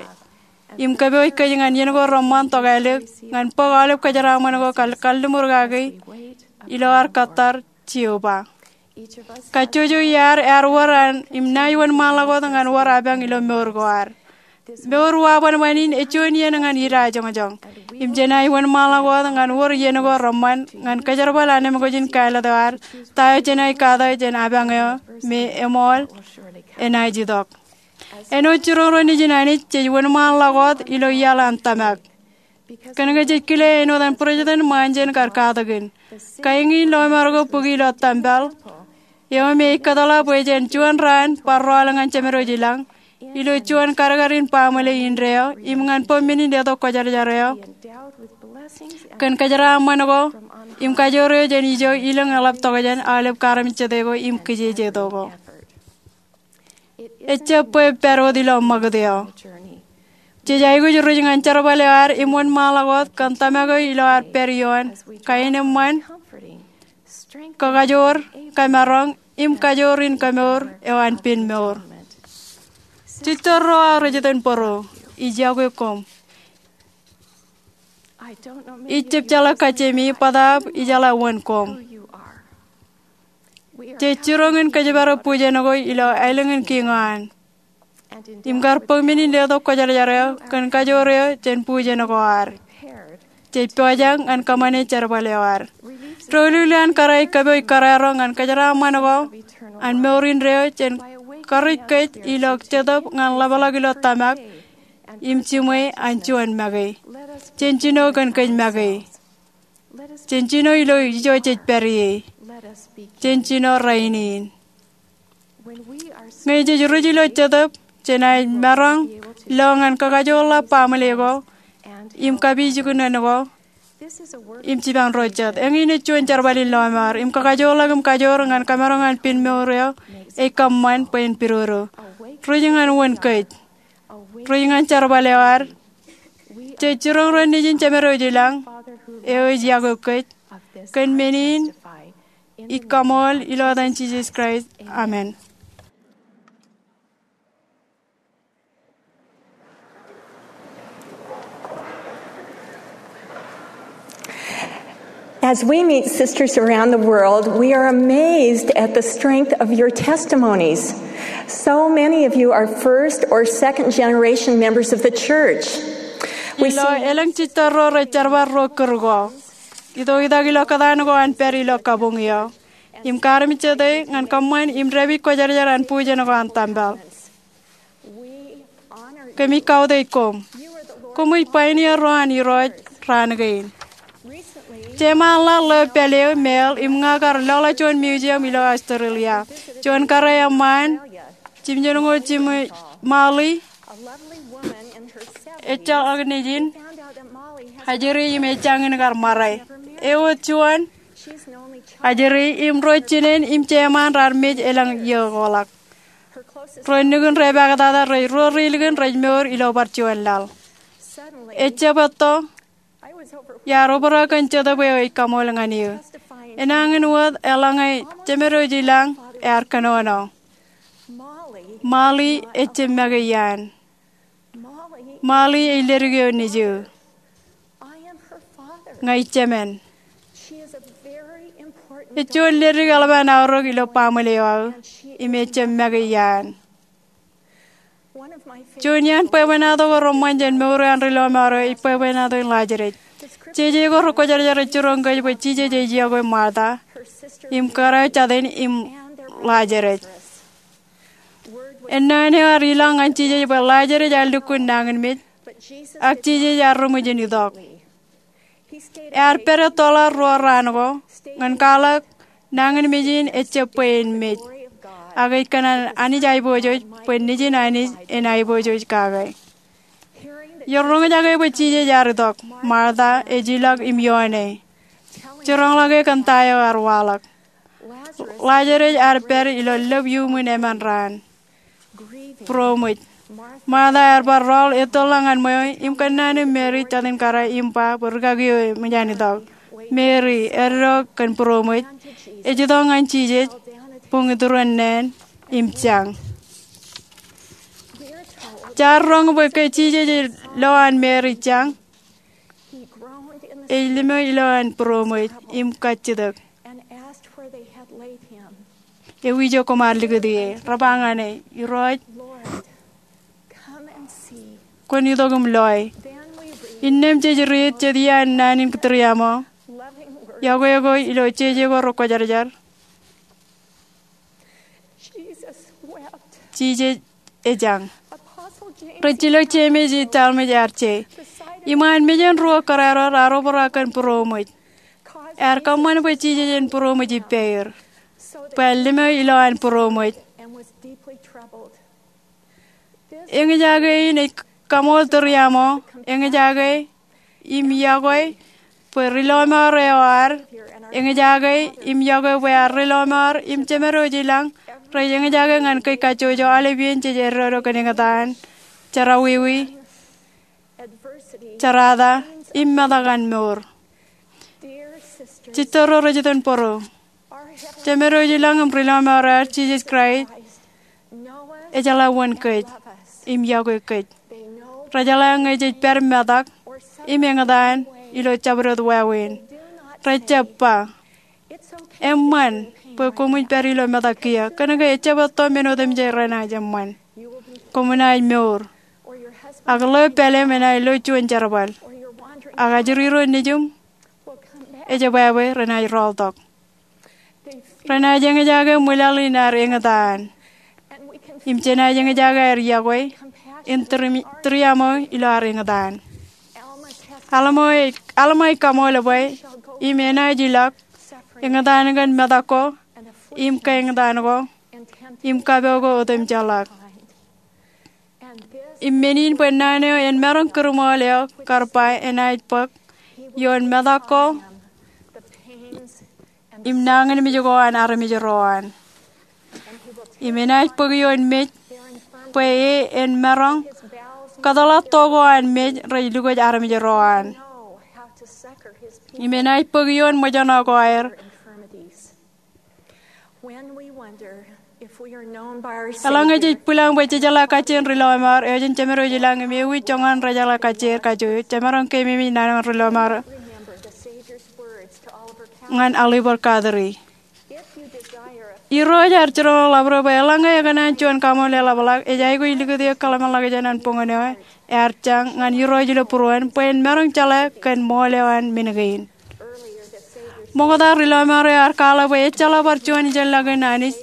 im kōpooj kōj ñan iien ko reṃṃan tokālik ñan bōk aolep kōjeraaṃṃan ko kal- kalliṃur kaki ilo ad kōttar Jeova. Kajjojo iaad ear wōr an im naaj wōnṃaanḷọk wōt ñan wōr apañ ilo mour ko ad. Mour wabwanbwan in ej juon iien ñan idajoñjoñ. Im jenaaj wōnṃaanḷọk wōt ñan wōr iien ko reṃṃan ñan kōjerbal anemkwōj in kāālōt eo ad, ta eo jenaaj kata jān apañ eo me eṃool enaaj itok. Āinwōt jiroñ ro nejin Anij, jej wōnṃaanḷọk wōt ilo iaḷ an tōmak. Kōnke jej kile āinwōt an President ṃaan jen kar katakin, kain in lọmọọr ko bōki ilo tempel eo me ej kōtḷọk bwe jen juon raan bar rọọl ñan Jemedwōj i lañ ilo juon kadkadin baaṃle indeeo im ñan bōm men in letok kwōjarjar eo kōn kōjeraaṃṃan ko im kajoor eo jān ijo ilōñ eḷap tokjān aolep kaarmejjete ko im kijejeto ko. Ejjab bwe pād wōt ilo ṃakūt eo. Jej aikuj ri-ij ñan jerbal eo ad im wōnṃaanḷọk wōt kōn tōmak eo ilo ad pād ioon kaenōṃṃan, kakajoor, kōmaroñ im kajoor in kōmour eo an pen mour. Jej torro aō rej itōn bōro, ij yokwe koṃ. Ij jab jeḷā kajjemi bōtaab ijeḷā wōn koṃ. Jej jiroñ in kōjparok bujen ko ilo aelōñ in kiiñ eo an im kar bōk men in letok kwōjarjar eo kōn kajoor eo jān bujen ko ad. Jej pojak ñan kōṃṃane jerbal eo ad. Doulul eo an kōrā ej kōpooj kōrā ro ñan kōjeraaṃṃan ko an mour indeeo jān karij kōj ilo Jetōb ñan ḷapḷọk ilo tōmak im jiṃwe an juon make. Jen jino kōn kōj make. Jen jino ilo ijo jej pād ie. Jen jino rainin. Ñe jej ri-ij ilo Jetōb, jenaaj maroñ lo ñan kakajoorḷọk baaṃle ko im kapijuknen ko im jipañ ro jet. Eñin ej juon jerbal in lọmọọr im kakajoorḷọk im kajoor ñan kōmaroñ an pen mour eo ej kōṃṃan bwe en pidodo. Ri-ij ñan wōn kōj. Ri-ij ñan jerbal eo ad. Jej jiroñ ro nejin Jemedwōj i lañ eo ej yokwe kōj kōn men in ij kaṃool ilo etan Jisōs Kraist. Amen. As we meet sisters around the world, we are amazed at the strength of your testimonies. So many of you are first or second generation members of the church. Ilo elōñ jejjab ro rej jerbal ro kūr ko, itoitak ilo kōtaan ko an pād ilo kabuñ eo im kaarmejjete ñan kōṃṃan im dāpij kwōjarjar an bujen ko an tempel. Kōmij kautiej koṃ. Koṃij pioneer ro an Irooj raan kein. Jeṃaanḷọk ḷeo pālle eo Mel im ña kar lọḷọk juon museum ilo Australia. Juon kōrā eṃṃaan, jimjuonñoul jiṃwe, Molly, ejjeḷọk nejin ajri im ejjañin kar ṃare. Ewōr juon ajri im ro jinen im jeṃaan raar mej elōñ iiō ko ḷọk. Ro nukun repaktata rej ruo ri likin rej mour ilo bar juon laḷ. Ejjab etto iar obrak kōn Jetōb eo ij kaṃool ñan eō. Enañin wōt eḷaññe Jemedwōj i lañ ear kōnono, Molly ejjab make iaan. Molly ej ledik eo nejū. Ña ij jemān. Ej juon ledik eḷap an aorōk ilo baaṃle eo aō im ejjab make iaan. Juon iaan bwebwenato ko reṃṃan jān mour eo an ri lọmọọr eo ej bwebwenato in Lajedes. Jeje ko rekwōjarjar ej jiroñ kōj bwe Jisōs ej yokwe Martha im kōrā eo jatin im Lajedes. Ennaan eo ear ilọk ñan Jisōs bwe Lajedes ear lukkuun nañinmej, ak Jisōs ear ri ṃwijin itok. Ear pād ettoḷọk ruo raan ko ñan kwaḷọk nañinmej in ejjab bwe en mej, ak ej kōṇaan Anij aiboojoj bwe Nejin Anij en aiboojoj kake. Iroñjake bwe Jisōs ear itok, Martha ej ilọk im ioone. Jiroñḷọke kōn ta eo ear waḷọk. Ḷaajrōs ear pād ilo lōb iuṃwin emān raan. Būroṃōj. Martha ear bar rọọl ettoḷọk ñan ṃweo im kōnnaan im Meri, jatū in kōrā, im ba bwe rūkaki eo eṃōj an itok. Meri, eddo kōn būroṃōj, ej itok ñan Jisōs, buñ iturin neen, im jañ. Jaar roñ bwe ke Jisōs ej lo an Meri jañ, ej limo ilo an būroṃōj im kajjitōk. Ewi ijo koṃ ar likūt ie? Rej ba ñan e, Irooj, kwōn itok im loe. Innām jej riit jet iaan naan in Kittiriamo, yokwe ko ilo jeje ko rekwōjarjar. Jisōs ejañ. Rijjilōk Jemes im Talmej ear je. Iṃaan mejān ruo kōrā ro raar obrak kōn būroṃōj. Ear kōṃṃan bwe Jisōs en būroṃōj ippāer, bwe en limo ilo an būroṃōj. Eñjake in ej kaṃool Tūriaṃo, eñjake im yokwe bwe ri lọmọọr eo ad, eñjake im yokwe bwe ad ri lọmọọr im jemed eo ilañ rej eñjake ñan kōj kajjojo aolepān jej eddodo kōn eñtaan, jerọwiwi, jerata, im metak an mour. Jitō ro rej itōn bōro, jemed eo ilañ im ri lọmọọr eo ad, Jisōs Kraist, ejeḷā wōn kōj im yokwe kōj. Rejeḷā ñe jej pād metak im eñtaan ilo jabdewōt wāween. Rejjab ba, eṃṃan bwe koṃij pād ilo metak kiiō. Kōnke ejjab etto men otemjej renaaj eṃṃan. Koṃ naaj mour, ak ḷeo pāleem enaaj lo juon jerbal, ak ajri ro nejiṃ ejebwābwe renaaj rọọltok. Renaaj eñjake ṃwilaḷ in ad eñtaan, im jenaaj eñjake aer yokwe in Tūriaṃo ilo ad eñtaan. Alma ej kaṃool bwe, im enaaj ilọk eñtaan kōn metak ko, im kaeñtaan ko, im kapo ko otemjeḷọk. Im men in bwe naan eo en maroñ kūrṃool eo kar ba enaaj bōk ioon metak ko im nañinmej ko an armej ro an. Im enaaj bōk ioon mej bwe e en maroñ kōtḷọk to ko an mej rej lukwōj armej ro an. Im enaaj bōk ioon ṃōjṇọ ko aer. Eḷaññe jej bwilōñ bwe jejeḷā kajjien ri lọmọọr, eo jān jemed eo ilañ im ewi joñan rejeḷā kajjier kajjojo, jemaroñ keememej naan eo an ri lọmọọr ñan Ōliver Kateri. Irooj ear jiroñḷọk ḷapḷọk bwe eḷaññe ekōṇaan juon kaṃool eḷapḷọk, ej aikuj likūt eō kōḷmānḷọkjeṇ an boñōn eo ear jañ ñan Irooj ilo būruon bwe en maroñ jeḷā kōn ṃool eo an men kein. Ṃokta ri lọmọọr eo ear kwaḷọk bwe ejjeḷọk bar juon ijeḷā kōn Anij,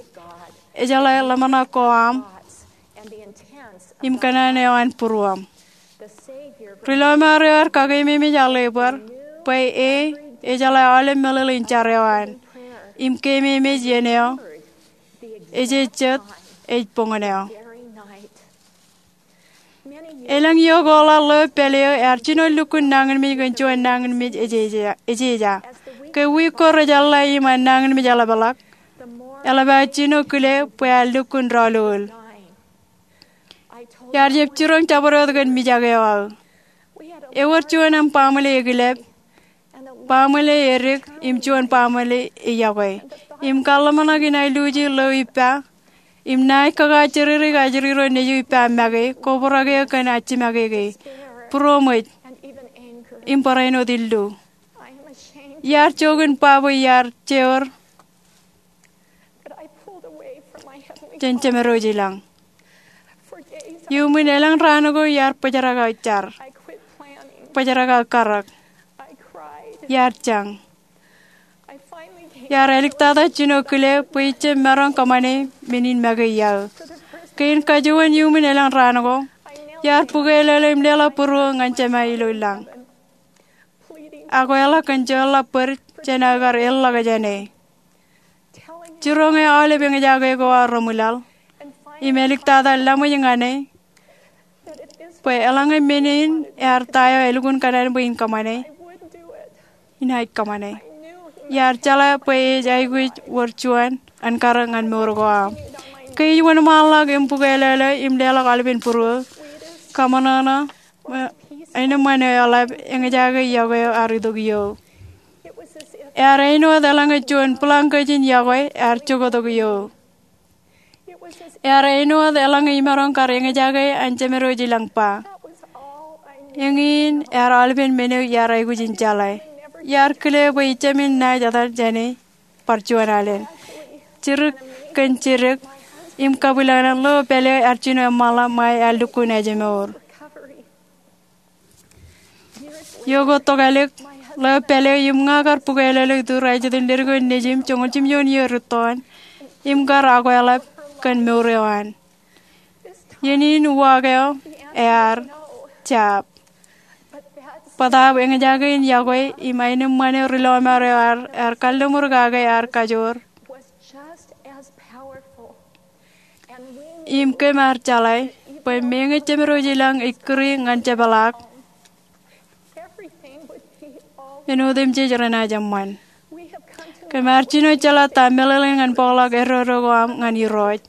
ejeḷā ḷōmṇak ko aṃ im kōṇaan eo an būruōṃ. Ri lọmọọr eo ear kakeememej Ōliver bwe e ejeḷā aolep meḷeḷe in jar eo an im keememej iien eo ejejjet ej boñōn eo. Elōñ iiō ko ḷọk ḷeo pād eo ear jino lukkuun nañinmej kōn juon nañinmej ejeja. Ke wiik ko rej eḷḷā im an nañinmej eḷapḷọk, eḷap aō jino kile bwe ear lukkuun dọọlul. Iar jab jiroñ jabdewōt kōn mijak eo aō. Ewōr juon aṃ baaṃle ekilep, baaṃle edik im juon baaṃle eyokwe. Im kōḷmānḷọkjeṇ in aer luuji ḷeo ippa im naaj kakaajjirjirōk ajri ro nejū ippa make, kobrak eō kōn ajjimake ke, būroṃōj, im barāinwōt illu. Iar jook in ba bwe iar jeor jān jemed eo ilañ. Iuṃwin elōñ raan ko iar bōjrak aō jar, bōjrak aō karōk. Iar jañ. Iar āliktata jino kile bwe ij jab maroñ kōṃṃane men in make iaō. Kein kajuon iuṃwin elōñ raan ko, iar bukwelōlō im leḷọk būruō ñan Jema ilo lañ, ak kweḷọk kōn jeorḷọk bōd jān aō kar eḷḷọk jān e. Jiroñ e aolep eñjake ko aō reṃwilaḷ im āliktata laṃōj ñan e bwe eḷaññe men in ear ta eo elukkuun kōṇaan bwe in kōṃṃane, inaaj kōṃṃane. iar jeḷā bwe ej aikuj wōr juon an karōk ñan mour ko aṃ. Ke ij wōnṃaanḷọk im bukwelōlō im leḷọk aolepen būruō, kaṃōṇōṇō, āinwōt ṃanḷap, eñjake yokwe eo ear itok iō. Ear āinwōt eḷaññe juon blanket in yokwe ear jokotok iō. Ear āinwōt eḷaññe imaroñ kar eñjake an Jemedwōj ilañ ba. Eñin ear aolepen men eo iar aikuj in jeḷā. Iar kile bwe ijjāmin naaj etal jāne bar juon alen. Jidik kōn jidik im kabwilōñlōñ, lo pālle ear jino eṃṃanḷọk ṃae ear lukkuun ājmour. Iọkwe tokālik, ḷeo pālle im ña kar bukwelōlō iturin leddik eo nejim joñoul jimjuon iiō rūttoon im kar akweḷap kōn mour eo an. Iien in uwaak eo ear jab. Bōtaab eñjake in yokwe im aenōṃṃan eo ri lọmọọr eo ear kalliṃur kake ear kajoor. Im kōm ar jeḷā bwe meñe Jemedwōj ilañ ej kūri ñan jepḷaak, āinwōt im jej renaaj eṃṃan. Kōm ar jino jeḷā ta meḷeḷein ñan bōkḷọk eddo ko aṃ ñan Irooj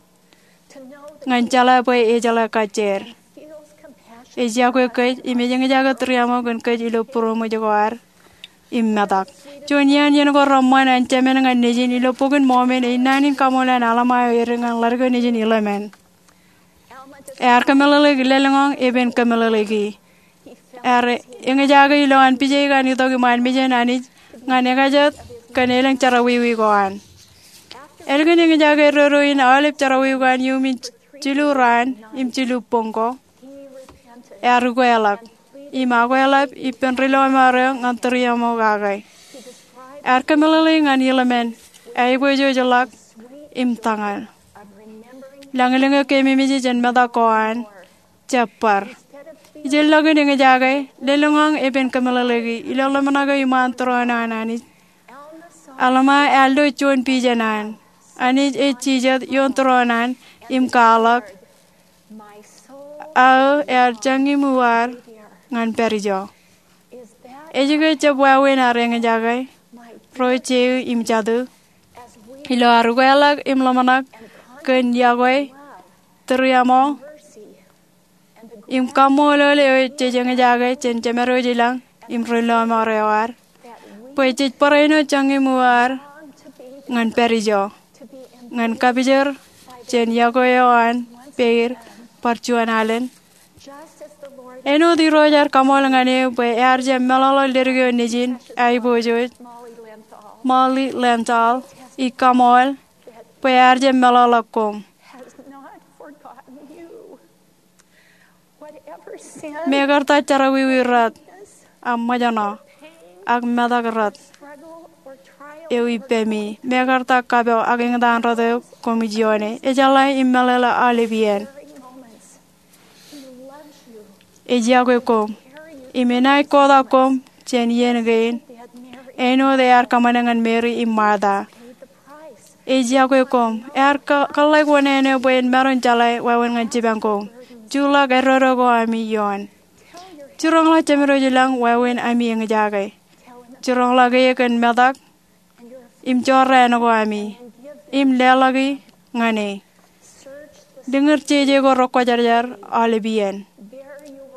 ñan jeḷā bwe ejeḷā kajjien. Ej yokwe kōj im ej eñjake tūriaṃo kōn kōj ilo būroṃōj ko ad im metak. Juon iien iien ko reṃṃan an Jemān ñan Nejin ilo Bokin Mọmon ej naan in kaṃool an Alma eo edik ñan ḷadik eo nejin ilemān. Ear kōmeḷeḷeik lelōñḷọk epen kōmeḷeḷeiki. Ear eñjake ilowaan pijeik an itok iṃaan mejān Anij ñan ekajet kōn elōñ jerọwiwi ko an. Ālikin eñjake eddo in aolep jerọwiwi ko an iuṃwin jilu raan im jilu boñ ko, ear ukweḷọk im akweḷap ippān ri lọmọọr eo ñan tūriaṃo kake. Ear kōmeḷeḷeik ñan ilemān aiboojoj ḷọk im tōñal. Lañlōñ eo keememej jān metak ko an jab bar. Ijellọk in eñjake, lelōñḷọk epen kōmeḷeḷeiki ilo ḷōmṇak eo iṃaan tūroon an Anij. Alma ear lo juon pijen an Anij ej jijet ioon tūroon an im kwaḷọk, aō ear jañin uwaad ñan pād ijo. Ej ke jab wāween ad eñjake, ro jeiū im jatū, ilo ad ukweḷọk im ḷōmṇak kōn yokwe, tūriaṃo im kaṃṃoolol eo jej eñjake jān Jemedwōj ilañ im ri lọmọọr eo ad, bwe jej barāinwōt jañin uwaad ñan pād ijo, ñan kapijor jān yokwe eo an peid bar juon alen? Āinwōt Irooj ear kaṃool ñan eō bwe ear jab meḷọkḷọk leddik eo nejin aiboojoj, Molly Lenthal, ij kaṃool bwe ear jab meḷọkḷọk koṃ. Mekarta jerọwiwi rot, ak ṃōjṇọ, ak metak rot eo ippemi, mekarta kapo ak eñtaan rot eo koṃij ioone, ejeḷā im meḷeḷe aolep iien. Ej yokwe koṃ im enaaj kotak koṃ jān iien kein, āinwōt ear kōṃṃane ñan Meri im Marta. Ej yokwe koṃ. Ear kōḷḷāik wōṇāān eo bwe en maroñ jeḷā wāween ñan jipañ koṃ. Juḷọk eddo ko ami ioon. Jiroñḷọk Jemedwōj ilañ wāween ami eñjake. Jiroñḷọk e kōn metak im jorrāān ko ami im leḷọki ñan e. Liñir jeje ko rekwōjarjar aolep iien.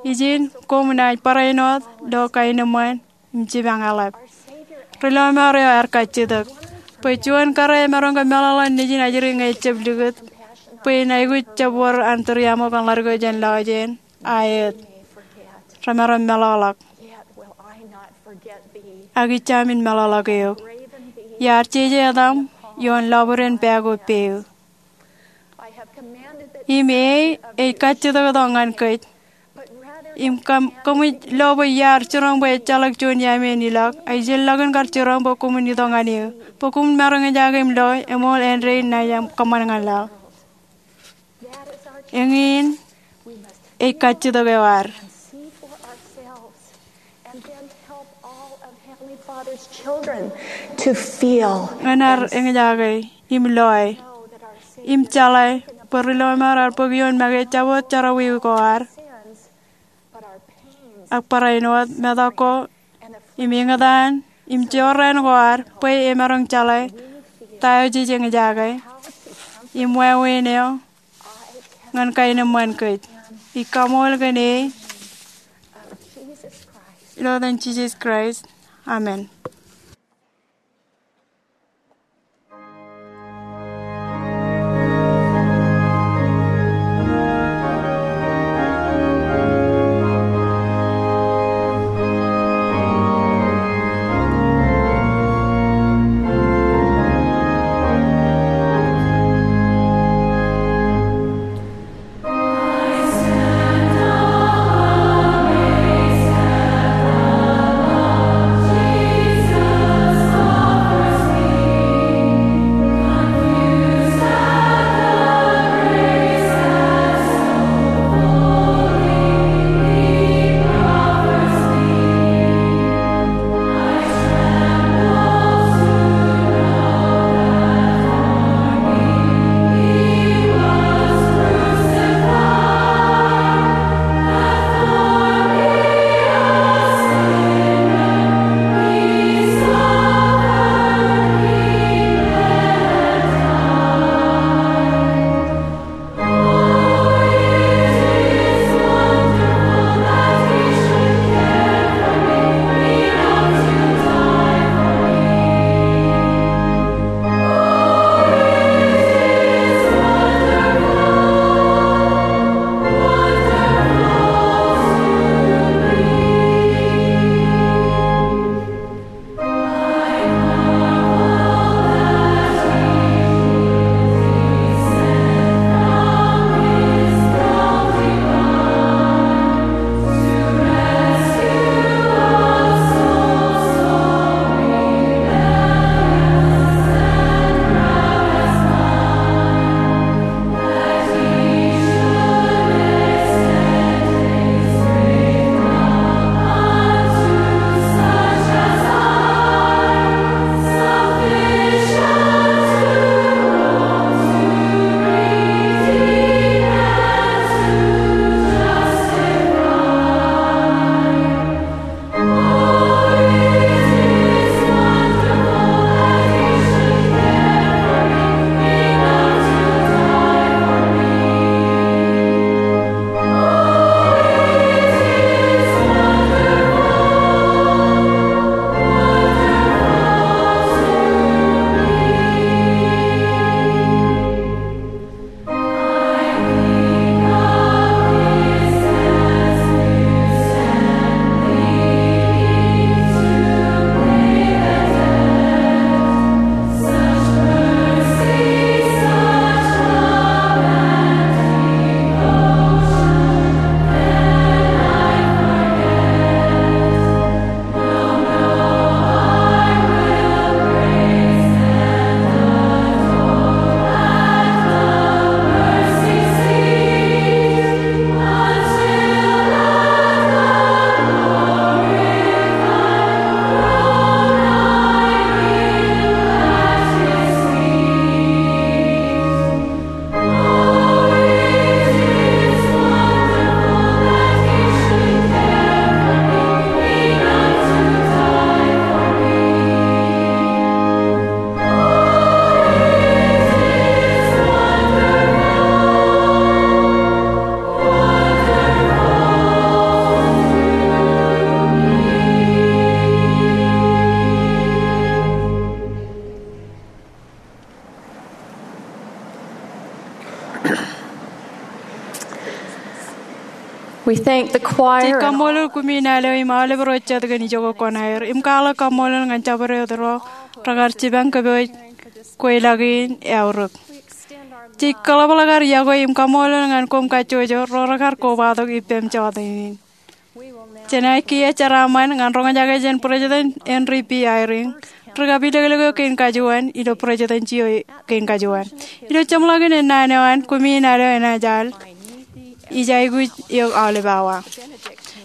Ijin, koṃ naaj barāinwōt lo kaenōṃṃan im jipañ eḷap. Ri lọmọọr eo ear kajjitōk bwe juon kōrā emaroñ ke meḷọkḷọk nejin ajri ñe ejab likūt, bwe en aikuj jab wōr an tūriaṃo kōn ḷadik eo jān lọjien, aet, remaroñ meḷọkḷọk. Ak ij jamin meḷọkḷọk eok. Iar jeje etaṃ ioon lọbwiden pā ko peeō. Im e ej kajjitōktok ñan kōj. Im kōm, koṃij lo bwe iar jiroñ bwe ejjeḷọk juon iaami en ilọk, ak ijellọkin kar jiroñ bwe koṃwin itok ñan eō, bwe koṃwin maroñ eñjake im lo, eṃool āindein naaj kōṃṃan ñan laḷ. Eñin ej kajjitōk eo ad. Ñan ad eñjake im loe im jeḷā bwe ri lọmọọr ad bōk ioon make jabdewōt jerọwiwi ko ad, ak barāinwōt metak ko im eñtaan Im jorrāān ko ad bwe emaroñ jeḷā ta eo jej eñjake im wāween eo ñan kaenōṃṃan kōj. Ij kaṃool kōn e ilo etan Jisōs Kraist. Amen. Jej kaṃṃoolol kumi naan eo im aolep ro jet kōn ijoko kuṇaer im kwaḷọk kaṃṃoolol ñan jabdewōt ro rekar jipañ kōpooj kweilọk in eaorōk. Jej kaḷapḷọk ad yokwe im kaṃṃoolol ñan koṃ kajjojo ro rekar kobatok ippem jota in. Jenaaj kiiō jeraaṃṃan ñan roñjake jān President Henry B. Eyring ri-kapilōklōk eo kein kajuon ilo presidency eo kein kajuon. Ilo jeṃḷọkin naan eo an kumi naan eo enaaj al, ij aikuj eok aolep awa.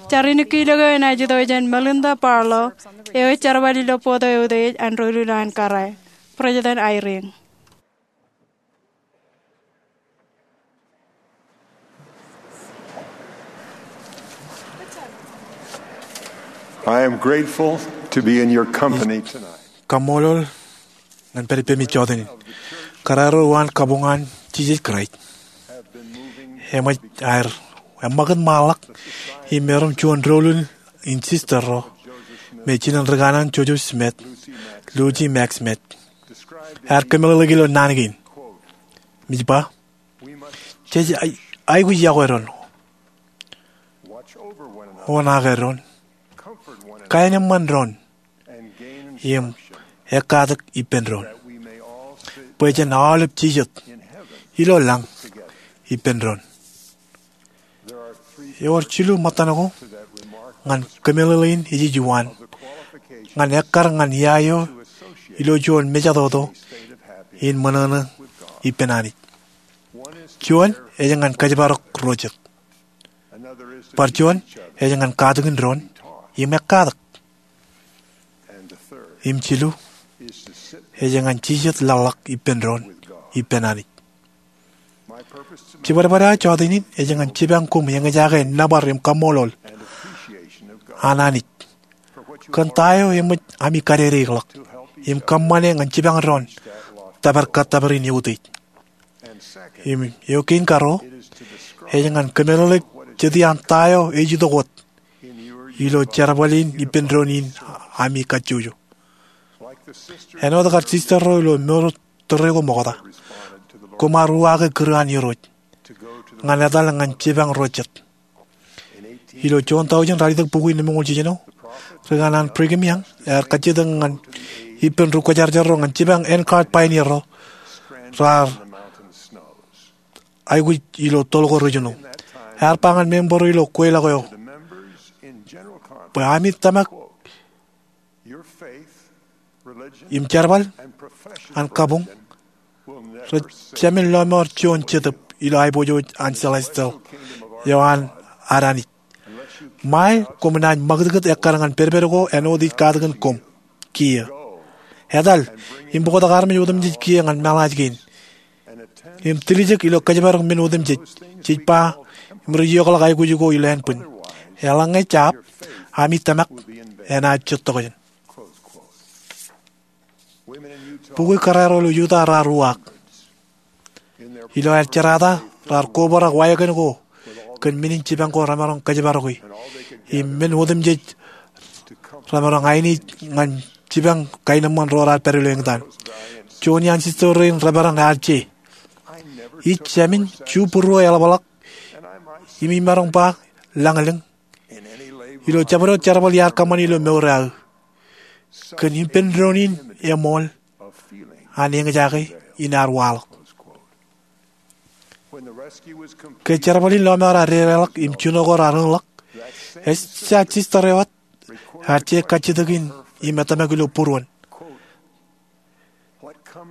Jar inikkilōk eo enaaj itok jān Melinda Barlow eo ej jerbal ilo board eo eutiej an doulul an kōrā. President Eyring. I am grateful to be in your company tonight. Kaṃṃoolol ñan pād ippemi jọteen in. Kōrā ro uwaan kabuñ an Jisōs Kraist eṃōj aer eṃṃakūt ṃaanḷọk im erom juon doulul in sister ro me jinen ri kanaan Joseph Smith, Lucy Mack Smith, ear kōmeḷeḷeik ilo naan kein. Im ej ba, jej aikuj yokwe doon, oṇaake doon, kaenōṃṃan doon, im ekkatak ippān doon, bwe jen aolep jijet ilo lañ ippān doon. Ewōr jilu ṃōttan ko ñan kōmeḷeḷe in ej ijuwaḷ ñan ekkar ñan ia eo ilo juon mejatoto in ṃōṇōṇō ippān Anij. Juon ej ñan kōjparok ro jet. Bar juon ej ñan katakin doon im ekkatak. Im jilu ej ñan jijet laḷḷọk ippān doon ippān Anij. Jibadbad eo aō jọteen in ej ñan jipañ koṃ eñjake nōbar im kaṃṃoolol an Anij kōn ta eo eṃōj ami kadedeikḷọk im kōṃṃane ñan jipañ doon tōpar kōttōpar in eutiej. Im eo kein karuo ej ñan kōmeḷeḷeik jet iaan ta eo ej itok wōt ilo jerbal in ippān doon in ami kajjojo. Āinwōt kar sister ro ilo mour tōre ko ṃokta, koṃ ar uwaake kūr an Irooj ñan etal ñan jipañ ro jet. Ilo juon tọujin ralitōk bukwi nōṃoñoul jiljino, ri kanaan Brigham Young ear kajjitōk ñan ippān ri kwōjarjar ro ñan jipañ N card pioneer ro raar aikuj ilo toḷ ko ri jino. Ear ba ñan member ro ilo kweilọk eo bwe ami tōmak im jerbal an kabuñ rej jāmin lọmọọr juon jetōb ilo aiboojoj an celestial eo an ad Anij ṃae koṃ naaj ṃakūtkūt ekkar ñan pedped ko āinwōt ij katakin koṃ kiiō. Etal im bōktok armej otemjej kiiō ñan meḷaaj kein im tiljek ilo kōjparok men otemjej jej ba im rej iokḷọk aikuj ko ilo ānbwin. Eḷaññe jab, ami tōmak enaaj jitōkjeṇ. Bukwi kōrā ro ilo Utah raar uwaak. Ilo aer jerata raar kobrak wāween ko kōn men in jipañ ko remaroñ kōjparoki im men otemjej remaroñ ainiej ñan jipañ kaenōṃṃan ro raar pād ilo eñtaan. Juon iaan sister rein, Reverend Al J. Ij jāmin ju būruō eḷapḷọk im imaroñ ba lañlōñ ilo jabdewōt jerbal iar kōṃṃane ilo mour eo aō kōn ippān doon in eṃool an eñjake in ear waḷọk. Ke jerbal in lọmọọr ear dedeḷọk im jino ko raar eñḷọk, ejja sister eo wōt ear je kajjitōk in im etōmak ilo būruon.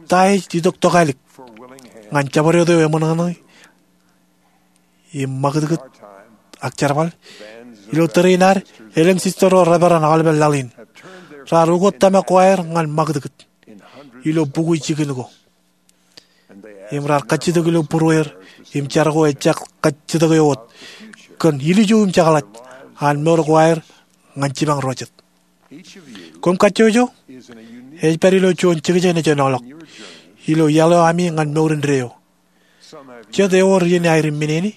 Ta ej itok tokālik ñan jabdewōt eo eṃōṇōṇō im ṃakūtkūt ak jerbal? Ilo tōre in ad, elōñ sister ro reperan aolepen laḷ in raar ukot tōmak ko aer ñan ṃakūtkūt ilo bukwi jikin ko. Im raar kajjitōk ilo būrueir im jar ko ejja kajjitōk eo wōt kōn ilju im jekḷaj an mour ko aer ñan jipañ ro jet. Koṃ kajjojo ej pād ilo juon jekjein ejenoḷọk ilo iaḷ eo ami ñan mour indeeo. Jet ewōr iien aer im minene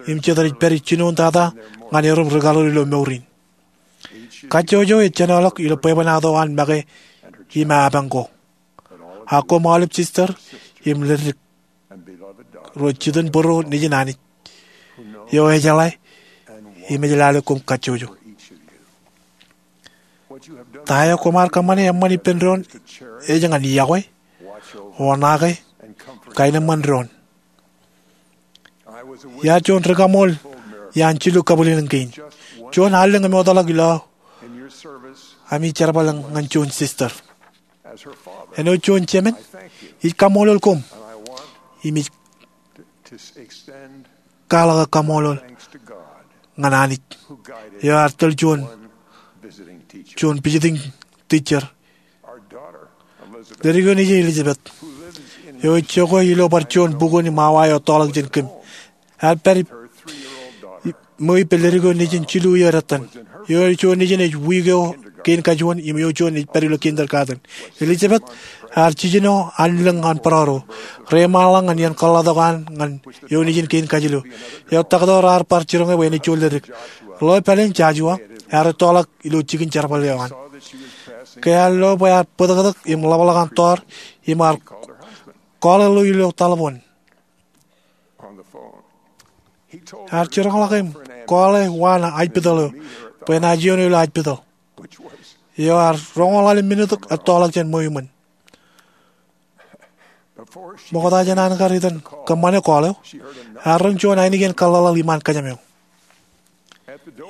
im jet rej pād ijinoin tata ñan erom ri kaḷoor ilo mour in. Kajjojo ejenoḷọk ilo bwebwenato an make im apañ ko. A koṃ aolep sister im ledik ro jitōnbōro nejin Anij eo ejeḷā im ej lale koṃ kajjojo. Ta eo koṃ ar kōṃṃane eṃṃan ippān doon ej ñan yokwe, oṇaake, kaenōṃṃan doon. Iar juon rikaṃool iaan jilu kabwilōñlōñ kein. Juon allōñ eṃootḷọk ilo ami jerbal ñan juon sister. Āinwōt juon jemān, ij kaṃṃoolol koṃ im ij kwaḷọk kaṃṃoolol ñan Anij eo ear tōl juon, juon visiting teacher, ledik eo nejin Elizabeth, eo ej jokwe ilo bar juon bukwōn im awa eo etọọlọk jān kōm. Ear pād im ṃwiippān ledik eo nejin jilu iiō dettan, eo juon nejin ej wiik eo kein kajuon im eo juon ej pād ilo kindergarten. Elizabeth ear jiljino anlōñ an bōrọro. Reiṃaanḷọk ñan iien kōḷḷatok an ñan eo nejin kein kajilu. Eo taktō raar bar jiroñ e bwe enaaj juon ledik. Ḷeo pāleen, Joshua ear ettoḷọk ilo jikin jerbal eo an. Ke ear lo bwe ear bōtōktōk im ḷapḷọk an tọọr im ear call e ḷeo ilo taḷboon. Ear jiroñḷọk im call e wa eo ajpitōḷ eo bwe enaaj iioon eo ilo ajpitōḷ, eo ear roñoul ḷalem minit ettoḷọk jān ṃweo iṃōn. Ṃokta jān an kar itan kōṃṃane call eo, ear roñ juon ainikien kōḷḷaḷḷaḷ iṃaan kōjām eo.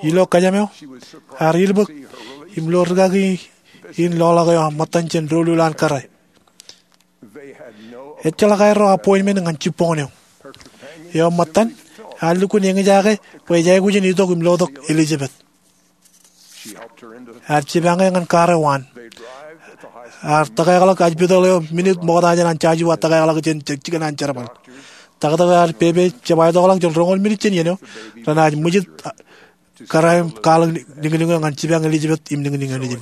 Ilo kōjām eo, ear ilbōk im lo rūkaki in loḷọk eo ṃōttan jān doulul an kōrā. Ejjeḷọk aerro appointment ñan jibboñōn eo. Eo ṃōttan ear lukkuun eñjake bwe ej aikuj in itok im lotok Elizabeth. Ear jipañ e ñan kar eo an. Ear tōkeḷọk ajpitōḷ eo minit ṃokta jān an Joshua tōkeḷọk jān jikin an jerbal. Taktō ear pepe jab aetokḷọk jān roñoul minit jān iien eo renaaj ṃwijit kōrā im kwaḷọk niñniñ eo ñan jipañ Elizabeth im niñniñ eo nejin.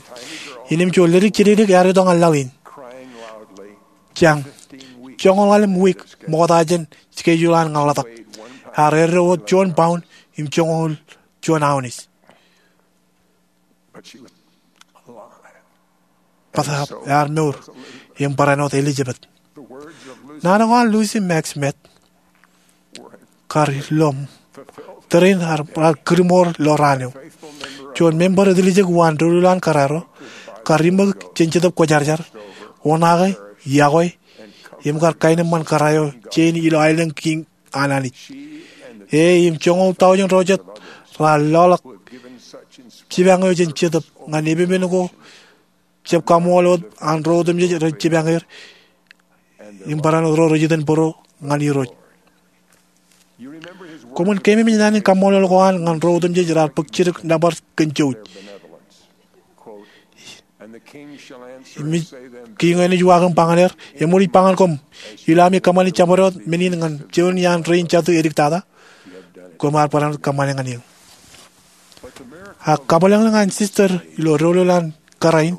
Innām juon ledik jidikdik ear itok ñan laḷ in, jañ, joñoul ḷalem wiik ṃokta jān schedule an ñan ḷotak. Ear eddo wōt juon pound im joñoul juon ounce. Bōtaab ear mour im barāinwōt Elizabeth. Naan ko an Lucy Mack Smith kar ilo tōre in raar kūrmour ilo raan eo. Juon member eo etiljek uwaan doulul an kōrā ro kar iṃōk jān Jetōb Kwōjarjar, oṇaake, iọkwe, im kar kaenōṃṃan kōrā eo jein ilo aelōñ kiiñ an Anij. E im joñoul tọujin ro jet raar loḷọk jipañ eo jān Jetōb ñan epepen ko jab kaṃool wōt an ro otemjej rej jipañ er im barāinwōt ro rej itōn bōro ñan Irooj. Koṃwin keememej naan in kaṃṃoolol ko an ñan ro otemjej raar bōk jidik nōbar kōn jouj. Im ej, kiiñ eo enaaj uwaak im ba ñan er, eṃōj ba ñan koṃ, ilo ami kōṃṃani jabdewōt men in ñan juon iaan rein jatū ediktata, koṃ ar barāinwōt kōṃṃane ñan eō. Ak kabwilōñlōñ an sister ilo doulul an kōrā in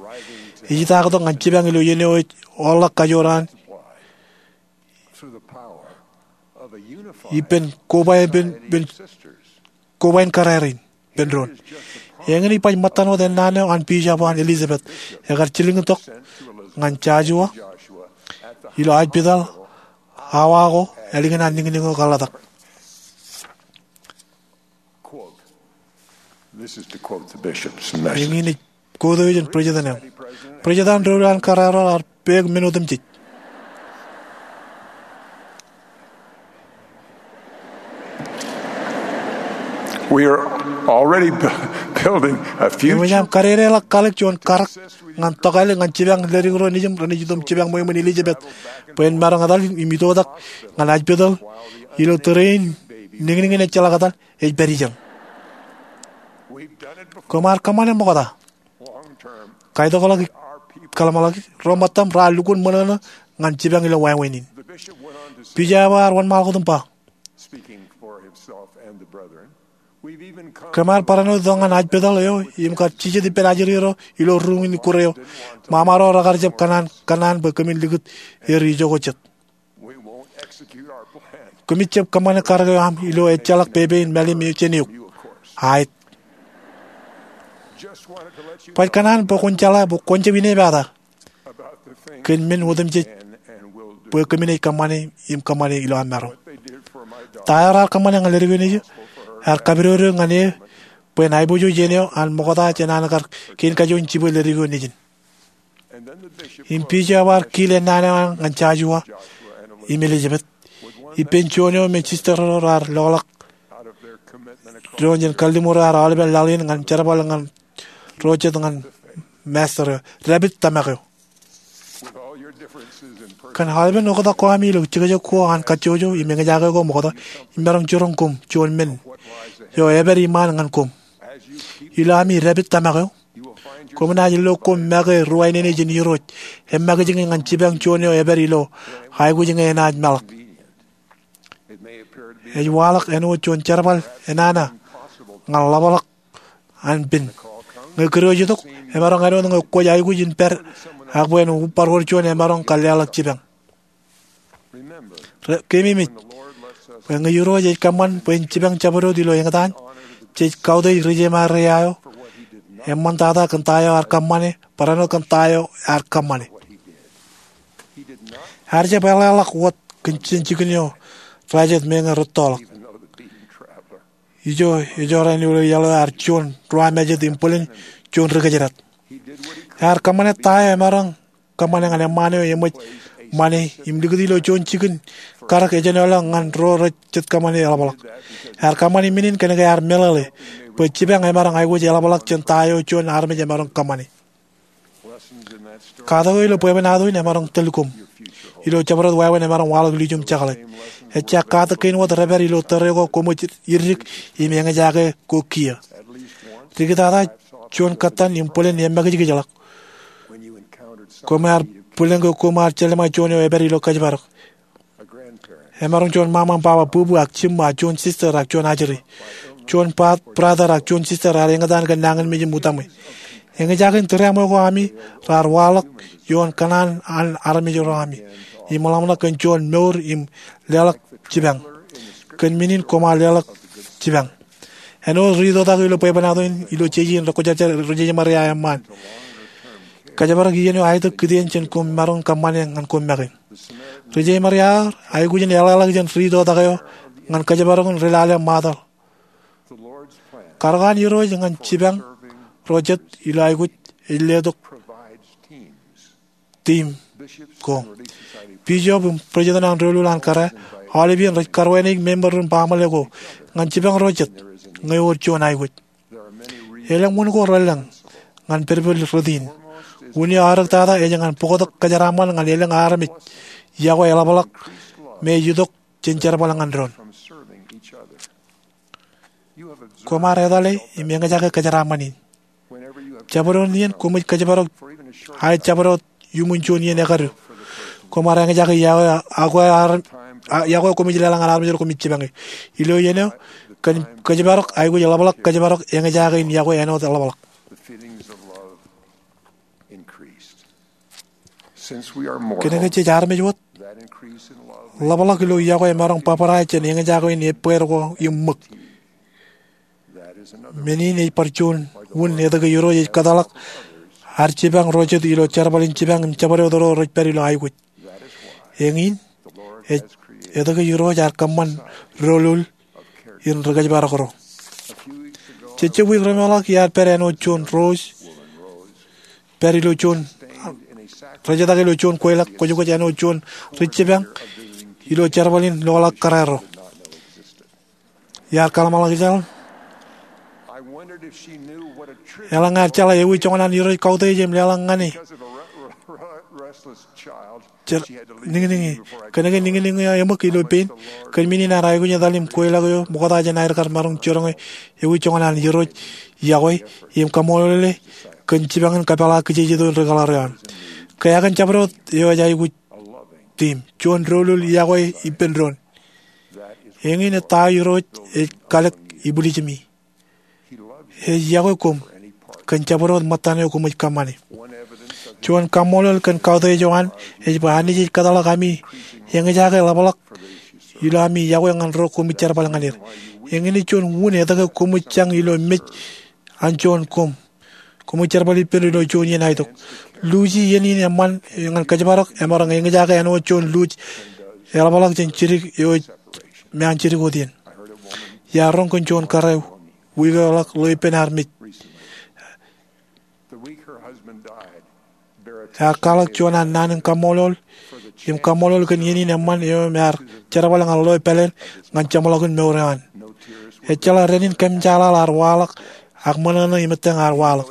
ej idaaktok ñan jipañ ilo iien eo ej orḷọk kajoor an ippān koba, ippān, ippān kobain kōrā rein ippān doon. Eñin ej baj ṃōttan wōt ennaan eo an Bishop eo an Elizabeth ekar jilkintok ñan Joshua ilo ajpitōḷ awa ko ālikin an niñniñ eo kōḷḷatak. Eñin ej quote eo jān president eo. President an doulul an kōrā ro ear peek men otemjej. We are already bu-, building a future. Eṃōj aṃ kadedeḷọk kalōk juon karak ñan tokālik ñan jipañ ledik ro nejiṃ renaaj itok im jipañ ṃweo iṃōn Elizabeth bwe en maroñ etal im itoitak ñan ajpitōḷ ilo tōre in niñniñ in ejjeḷọk etal ej pād ijeḷ. Koṃ ar kōṃṃane ṃokta. Kaitokḷọk, kōḷmānḷọkjeṇ, ro ṃōttaṃ raar lukkuun ṃōṇōṇō ñan jipañ ilo wāween in. Bishop eo ear wōnṃaanḷọk wōt im ba, koṃ ar barāinwōt itok ñan ajpitōḷ eo im kar jijet ippān ajri ro ilo ruuṃ in ikkure eo. Ṃaṃa ro rekar jab kōṇaan, kōṇaan bwe kōmin likūt er ijoko jet. Koṃij jab kōṃṃane karak eo aṃ ilo ejjeḷọk pepe in mālim eo jān eok. Aet. Baj kōṇaan bwe kwōn jeḷā bwe kwōn jab inepata kōn men otemjej bwe kōmin ej kōṃṃane im kōṃṃane ilo aṃ maroñ. Ta eo raar kōṃṃane ñan ledik eo nejū ear kapidodo ñan e bwe en aiboojoj iien eo an ṃokta jān an kar kein kajoor in jibwe ledik eo nejin. Im bishop eo ear kiil ennaan eo an ñan Joshua im Elizabeth ippān juon eo me sister ro raar loḷọk doon jān kalliṃur eo ear aolepen laḷ in ñan jerbal ñan ro jet ñan master eo, dāpij tōmak eo. Kōn aolepen oktak ko ami ilo jekjek ko an kajjojo im eñjake ko ṃokta, imaroñ jiroñ koṃ juon men eo epād iṃaan ñan koṃ. Ilo ami dāpij tōmak eo, koṃ naaj lo koṃ make ruwainene jān Irooj, eṃṃakijñe ñan jipañ juon eo epād ilo aikuj ñe enaaj meḷọk. Ej waḷọk āinwōt juon jerbal enana ñan ḷapḷọk an pen ñan Ñe kūr eo ej itok, emaroñ āinwōt ñe kwōj aikuj in pād, ak bwe en bar wōr juon emaroñ kar leḷọk jipañ. Keememej bwe ñe Irooj ej kōṃṃan bwe en jipañ jabdewōt ilo eñtaan, jej kautiej ri-jeṃaria eo eṃṃantata kōn ta eo ear kōṃṃane, barāinwōt kōn ta eo ear kōṃṃane. Ear jab eḷḷāḷọk wōt kōn jān jikin eo rajet meñe rūttoḷọk. Ijo ejorrāān ilo iaḷ eo ear juon ruwamājet im bōlen juon ri-kōjdat. Ear kōṃṃane ta eo emaroñ kōṃṃane ñan eṃṃaan eo eṃōj ṃane im likūti ilo juon jikin karōk ejenoḷọk ñan ro rej jet kōṃṃane eḷapḷọk. Ear kōṃṃane men in kōnke ear meḷeḷe bwe jipañ emaroñ aikuj eḷapḷọk jān ta eo juon armej emaroñ kōṃṃane. Katak eo ilo bwebwenato in emaroñ tōl koṃ ilo jabdewōt wāween emaroñ waḷọk ilju im jekḷaj. Ejja katak kein wōt rej pād ilo tōre ko koṃij irdik im eñjake ko kiiō. Dikitata juon kōttan im bōlen emakijkijḷọk. Koṃ ar bōlen ke koṃ ar jelṃae juon eo epād ilo kōjparok. Emaroñ juon ṃaṃa im baba, bubu ak jiṃṃa, juon sister ak juon ajri, juon brother ak juon sister raar eñtaan kōn nañinmej im utaṃwe. Eñjake in tūriaṃwe ko ami raar waḷọk ioon kōṇaan an armej ro ami im ḷōmṇak kōn juon mour im leḷọk jipañ. Kōn men in koṃ ar leḷọk jipañ. Āinwōt ri-itoktak eo ilo bwebwenato in ilo jeje in rekwōjarjar ri-jeṃaria eṃṃaan, kōjparok iien eo aetok kitien jān koṃ maroñ kōṃṃane ñan koṃ make. Ri-jeṃaria eo aikuj in eḷḷāḷọk jān ri-itoktak eo ñan kōjparok in ri-lale ṃaatōḷ. Karukaan Irooj ñan jipañ ro jet ilo aikuj ej letok tiim ko. Bishop im president an doulul an kōrā aolep iien rej karuwaineik member ro im baaṃle ko ñan jipañ ro jet ñe ewōr juon aikuj. Elōñ wūn ko relōñ ñan pedpel rot in. Wūn eo aorōktata ej ñan bōktok kōjeraaṃṃan ñan elōñ armej yokwe eḷapḷọk me ej itok jān jerbal ñan doon. Koṃ ar etale im eñjake kōjeraaṃṃan in. Jabdewōt iien koṃij kōjparok, aet jabdewōt iuṃwin juon iien ekadu, koṃ ar eñjake yokwe koṃij leḷọk ñan armej ro koṃij jipañe. Ilo iien eo, kōn kōjparok aikuj eḷapḷọk kōjparok eñjake in yokwe āinwōt eḷapḷọk. Kōnke jej armej wōt, ḷapḷọk ilo yokwe emaroñ bōbrae jān eñjake in ebbeer ko im ṃōk. Men in ej bar juon wūn etke Irooj ej kōtḷọk ad jipañ ro jet ilo jerbal in jipañ im jabdewōt ro rej pād ilo aikuj. Eñin ej etke Irooj ear kōṃṃan doulul in ri-kōjparok ro. Jejjab wiik remootḷọk iar pād āinwōt juon Rose pād ilo juon, rejetak ilo juon kweilọk kwōjkwōj āinwōt juon ri-jipañ ilo jerbal in loḷọk kōrā ro. Iar kaḷṃaḷọkjeḷ, eḷaññe ear jeḷā ewi joñan an Irooj kautiej im leḷọk ñan e. Niñniñ e, kōnke niñniñ eo eṃōk ilo pein. Kōn men in ear aikuj in etal im kweilọk eo ṃokta jān aer kar maroñ jiroñe ewi joñan an Irooj yokwe im kaṃṃoolol e kōn jipañ in kapeḷḷọk kijejeto in ri-kōḷar eo an. Kōn jabdewōt eo ej aikuj tiim, juon doulul yokwe ippān doon. Eñin ej ta eo Irooj ej kalōk ibwiljimi. Ej yokwe koṃ kōn jabdewōt ṃōttan eo koṃij kōṃṃane. Juon kaṃṃoolol kōn kautiej eo an ej bwe Anij ej kōtḷọk ami eñjake ḷapḷọk ilo ami yokwe ñan ro koṃij jerbal ñan er. Eñin ej juon wūn etke koṃij jañ ilo mej an juon koṃ. Koṃij jerbal ippān ilo juon iien aetok. Luuji iien in eṃṃan ñan kōjparok emaroñ eñjake āinwōt juon luuj eḷapḷọk jān jidik eo ej me an jidik wōt iien. Iar roñ kōn juon kōrā wiik eo ḷọk ḷeo ippān ad mej. Ear kwaḷọk juon an naan in kaṃṃoolol im kaṃṃoolol kōn iien in eṃṃan eo me ear jerbal ñan ḷeo pāleen ñan jeṃḷọkin mour eo an. Ejjeḷọk dān in kōmjaḷaḷ ear waḷọk, ak ṃōṇōṇō im ettōñ ear waḷọk.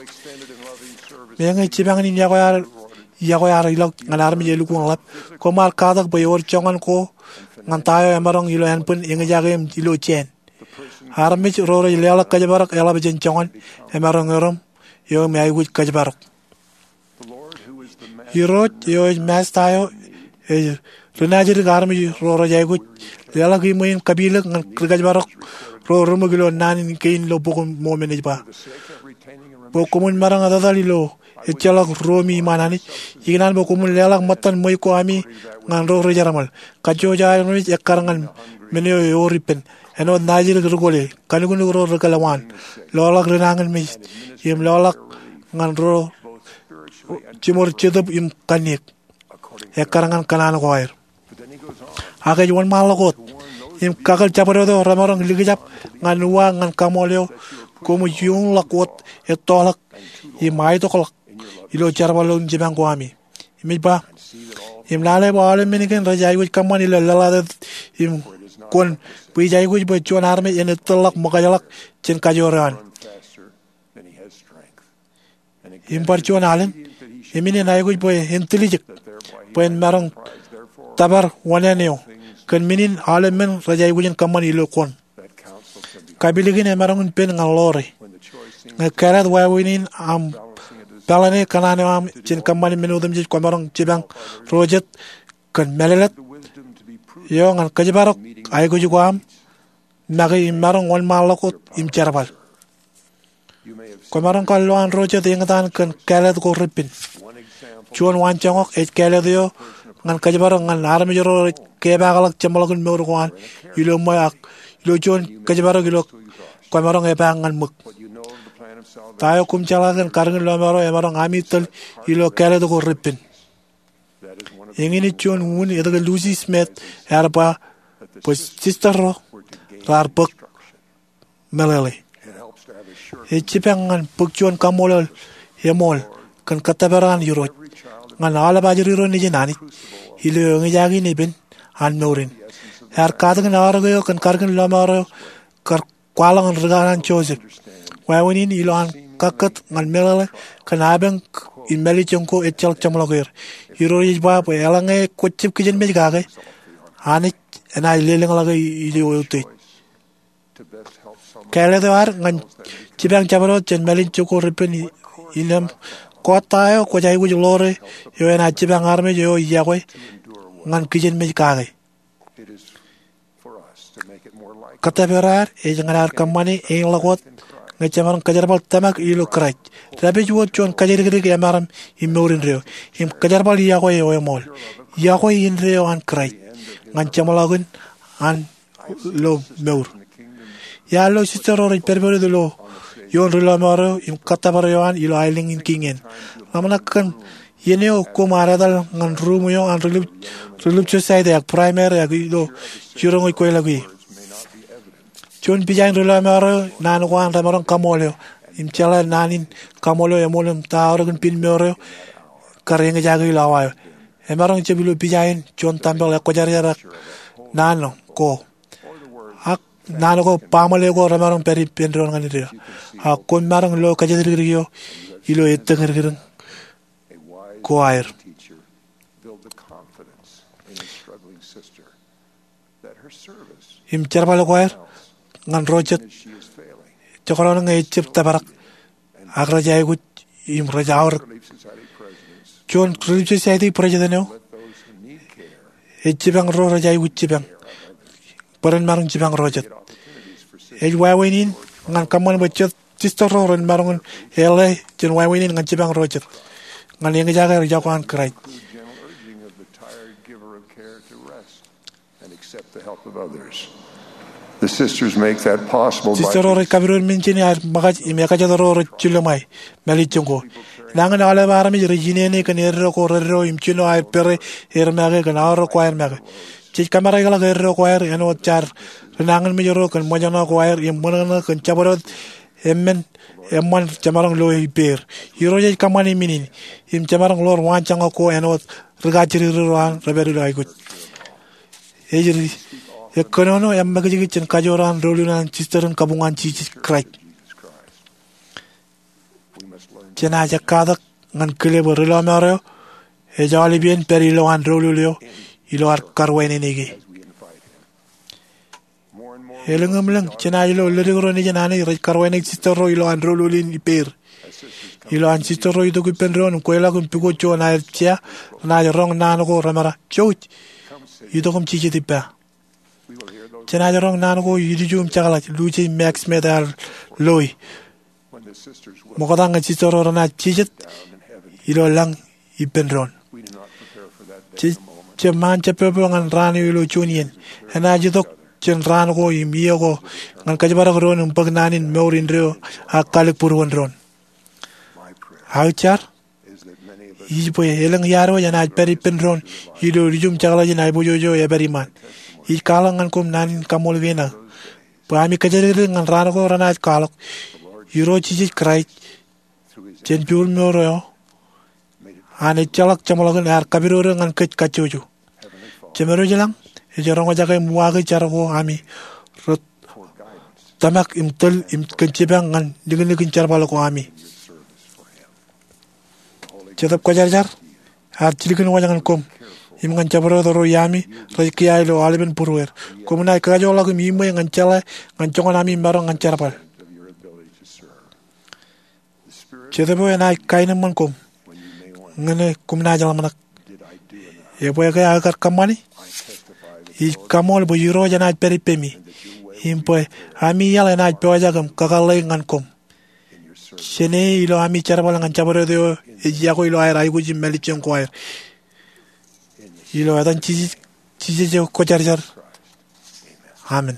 Meñe jipañ in yokwe ear ilọk ñan armej elukkuun ḷap, koṃ ar katak bwe ewōr joñan ko ñan ta eo emaroñ ilo ānbwin eñjake im ilo jāān. Armej ro rej leḷọk kōjparok eḷap jān joñan emaroñ erom eo me aikuj kōjparok. Irooj eo ej Masta eo ej ri-naajdik armej ro rej aikuj leḷọk iṃwe in kapilōk ñan ri-kōjparok ro ri ṃōk ilo naan in kein ilo Bok in Mormon ej ba, bwe koṃwin maroñ etetal ilo ejjeḷọk ruomi iṃaan Anij, ikōṇaan bwe koṃwin leḷọk ṃōttan ṃweiuk ko ami ñan ro ri jerbal. Kajjojo armej ekkar ñan men eo ewōr ippān, āinwōt najidik ri kole, kanuknuk ro ri kōḷmān, loḷọk ri nañinmej, im loḷọk ñan ro jiṃor jetōb im kanniōk, ekkar ñan kōṇaan ko aer. Ak ej wōnṃaanḷọk wōt im kakōl jabdewōt eo remaroñ likjab ñan uwaak ñan kaṃool eo koṃij iuñḷọk wōt ettoḷọk im aetokḷọk ilo jerbal in jipañ ko ami. Im ej ba, im lale bwe aolep men kein rej aikuj kōṃṃan ilo laḷatet im kwōn, bwe ij aikuj bwe juon armej en ettōrḷọk ṃōkajḷọk jān kajoor eo an. Im bar juon alen, im in en aikuj bwe en tiljek, bwe en maroñ tōpar wōṇāān eo, kōn men in aolep men rej aikuj in kōṃṃan ilo kwōn. Kapilikin emaroñ in pen ñan ḷoore. Ñe kāālōt wāween in aṃ, peḷan e kōṇaan eo aṃ jān kōṃṃane men otemjej, kwōmaroñ jipañ ro jet kōn mālōtlōt eo ñan kōjparok aikuj ko aṃ make im maroñ wōnṃaanḷọk wōt im jerbal. Kwōmaroñ kar lowaan ro jet eñtaan kōn kāālōt ko repen. Juon waanjoñak ej kāālōt eo ñan kōjparok ñan armej ro rej kepaakḷọk jeṃḷọkin mour ko an ilo ṃweo ak ilo juon kōjparok ilo kwōmaroñ epaak ñan ṃōk. Ta eo koṃ jeḷā kōn karōkin lọmọọr eo emaroñ ami tōl ilo kāālōt ko repen? Eñin ej juon unin etke Lucy Smith ear ba bwe sister ro raar bōk meḷeḷe. Ej jipañ ñan bōk juon kaṃṃoolol eṃool kōn kōttōpar an Irooj ñan aolep ajri ro nejin Anij ilo eñjake in epen an mour in. Ear katakin aorōk eo kōn karōkin lọmọọr eo kar kwaḷọk in rūkanaan Joseph. Wāween in ilo an kakkōt ñan meḷeḷe kōn apañ im mālejjoñ ko ejjeḷọk jeṃḷọk er. Irooj ej ba bwe eḷaññe kwōj jab kijenmej kake, Anij enaaj lelōñḷọke ilo eutiej. Kāālōt eo ad ñan jipañ jabdewōt jān mālejjoñ ko repen in eṃ kōttar eo kwōj aikuj ḷoore eo enaaj jipañ armej eo iọkwe ñan kijenmej kake. Kōttōpar ad ej ñan ad kōṃṃane eñḷọk wōt ñe jemaroñ kōjerbal tōmak ilo Kraist, dāpij wōt juon kōjatdikdik emaroñ im mour indeeo, im kōjerbal iọkwe eo eṃool, iọkwe indeeo an Kraist ñan jeṃḷọkin an lo mour. Iar lo sister ro rej pedped wōt ilo ioon ri lọmọọr eo im kōttōpar eo an ilo aelōñ in kiiñ in, ḷōmṇak kōn iien eo koṃ ar etal ñan ruuṃ eo an Relief Society ak Primary ak ilo jiroñ eo kwōjeḷā ie. Juon pija in ri lọmọọr eo naan ko an remaroñ kaṃool eo im jeḷā naan in kaṃool eo eṃool im ta aorōk in piin mour eo kar eñjake ilo awa eo. Emaroñ jab ilo pija in juon tempeḷ ekwōjarjar ak naan ko ak naan ko baaṃle ko remaroñ pād ippān doon ñan indeeo. Ak koṃ maroñ lo kōjatdikdik eo ilo ettōñdikdik ko aer im jerbal ko aer ñan ro jet jekdọọn ñe ejab tōprak ak rej aikuj im rej aorōk. Juon Relief Society president eo ej jipañ ro rej aikuj jipañ bwe ren maroñ jipañ ro jet. Ej wāween in ñan kōṃṃan bwe jet sister ro ren maroñ in eḷḷā jān wāween in ñan jipañ ro jet ñan eñjake iọkwe an Kraist. Sister ro rej kapidoon men jān aer ṃōkaj im ekajet ro rej jilōṃae mālejjoñ ko. Nañin aolep armej rej inene kōn eddo ko reddo im jino aer pere er make kōn aorōk ko aer make. Jej kōmāreḷọk eddo ko aer āinwōt jaar rinañinmej ro kōn ṃōjṇọ ko aer im ṃōṇōṇō kōn jabdewōt eṃṃan eṃṃan jemaroñ lo ippāer. Irooj ej kōṃṃane men in im jemaroñ ḷoor waanjoñak ko āinwōt ri kajjidikdik ro an rej pād ilo aikuj. Ej ri ekkōnono eṃṃakijkij jān kajoor an doulul an sister in kabuñ an Jisōs Kraist. Jenaaj ekkatak ñan kile bwe ri lọmọọr eo ej aolepān pād ilowaan doulul eo ilo ad karwānānōk e. Elōñemlōñ jenaaj lo ledik ro nejin Anij rej karwānānōk sister ro ilowaan doulul in ippāer. Ilowaan sister ro itok ippān doon im kweilọk im pukot juon aer jea, renaaj roñ naan ko reṃōṇō, jouj, itok im jijet ippa. Jenaaj roñ naan ko ilju im jekḷaj, lujej Mack Smith ear loi ṃokta ñe jistro renaaj jijet ilo lañ ippān doon. Jejjab ṃaan jabōbō ñan raan eo ilo juon iien. Enaaj itok jān raan ko im iiō ko ñan kōjparok doon im bōk naan in mour indeeo ak kalōk būruon doon. Aō jar ij bwe elōñ iaad wōj enaaj pād ippān doon ilo ilju im jekḷaj in aiboojoj eo epād iṃaan. Ij kwaḷọk ñan koṃ naan in kaṃṃoolol kein aō bwe ami kōjatdikdik ñan raan ko renaaj kwaḷọk Irooj Jisōs Kraist jān joulmour eo an ejjeḷọk jeṃḷọkin ear kapidodo ñan kōj kajjojo. Jemedwōj ilañ ej roñjake im uwaake jar ko ami rej tōmak im tōl im kōn jipañ ñan liknikin jerbal ko ami. Jetōb Kwōjarjar ear jilkinwōj ñan koṃ im ñan jabdewōt ro iaami rej kiiō ilo aolepen būrueir. Koṃ naaj kakajoorḷọk im iṃwe ñan jeḷā ñan joñan ami maroñ ñan jerbal. Jetōb eo enaaj kaenōṃṃan koṃ ñe koṃ naaj ḷōmṇak, ebwe ke aō kar kōṃṃani? Ij kaṃṃoolol bwe Irooj enaaj pād ippemi im bwe ami iaḷ enaaj pojak im kakōḷḷe ñan koṃ. Jāne ilo ami jerbal ñan jabdewōt eo ej yokwe ilo aer aikuj im mālejjoñ ko aer. Ilo etan Jisōs, Jisōs eo Kwōjarjar, amen.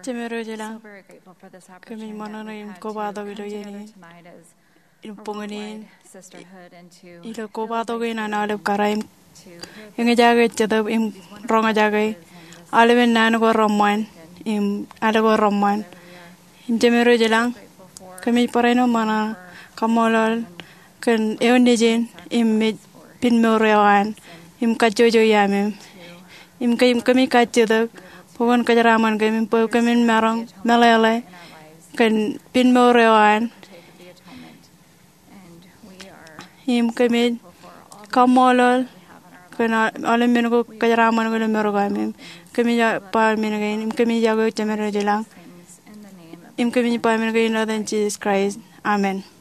Jemedwōj ilañ, kōmij ṃōṇōṇō im kobatok ilo iien in, im boñōn in, ilo kobatok in an aolep kōrā im eñjake Jetōb im roñjake aolepen naan ko reṃṃan im al ko reṃṃan. Im Jemedwōj ilañ, kōmij barāinwōt ṃōṇōṇō, kaṃṃoolol kōn eoon nejin im mej pinmour eo an im kajjojo iaam in. Im kōmij kajjitōk bwe kwōn kōjeraaṃṃan kōm im bwe kōmin maroñ meḷeḷe kōn pinmour eo an. Im kōmij kaṃṃoolol kōn aolep men ko kōjeraaṃṃan kōn mour eo aṃ. Im kōmij ba men kein, im kōmij yokwe eok Jemedwōj ilañ. Im kōmij ba men kein ilo etan Jisōs Kraist. Amen.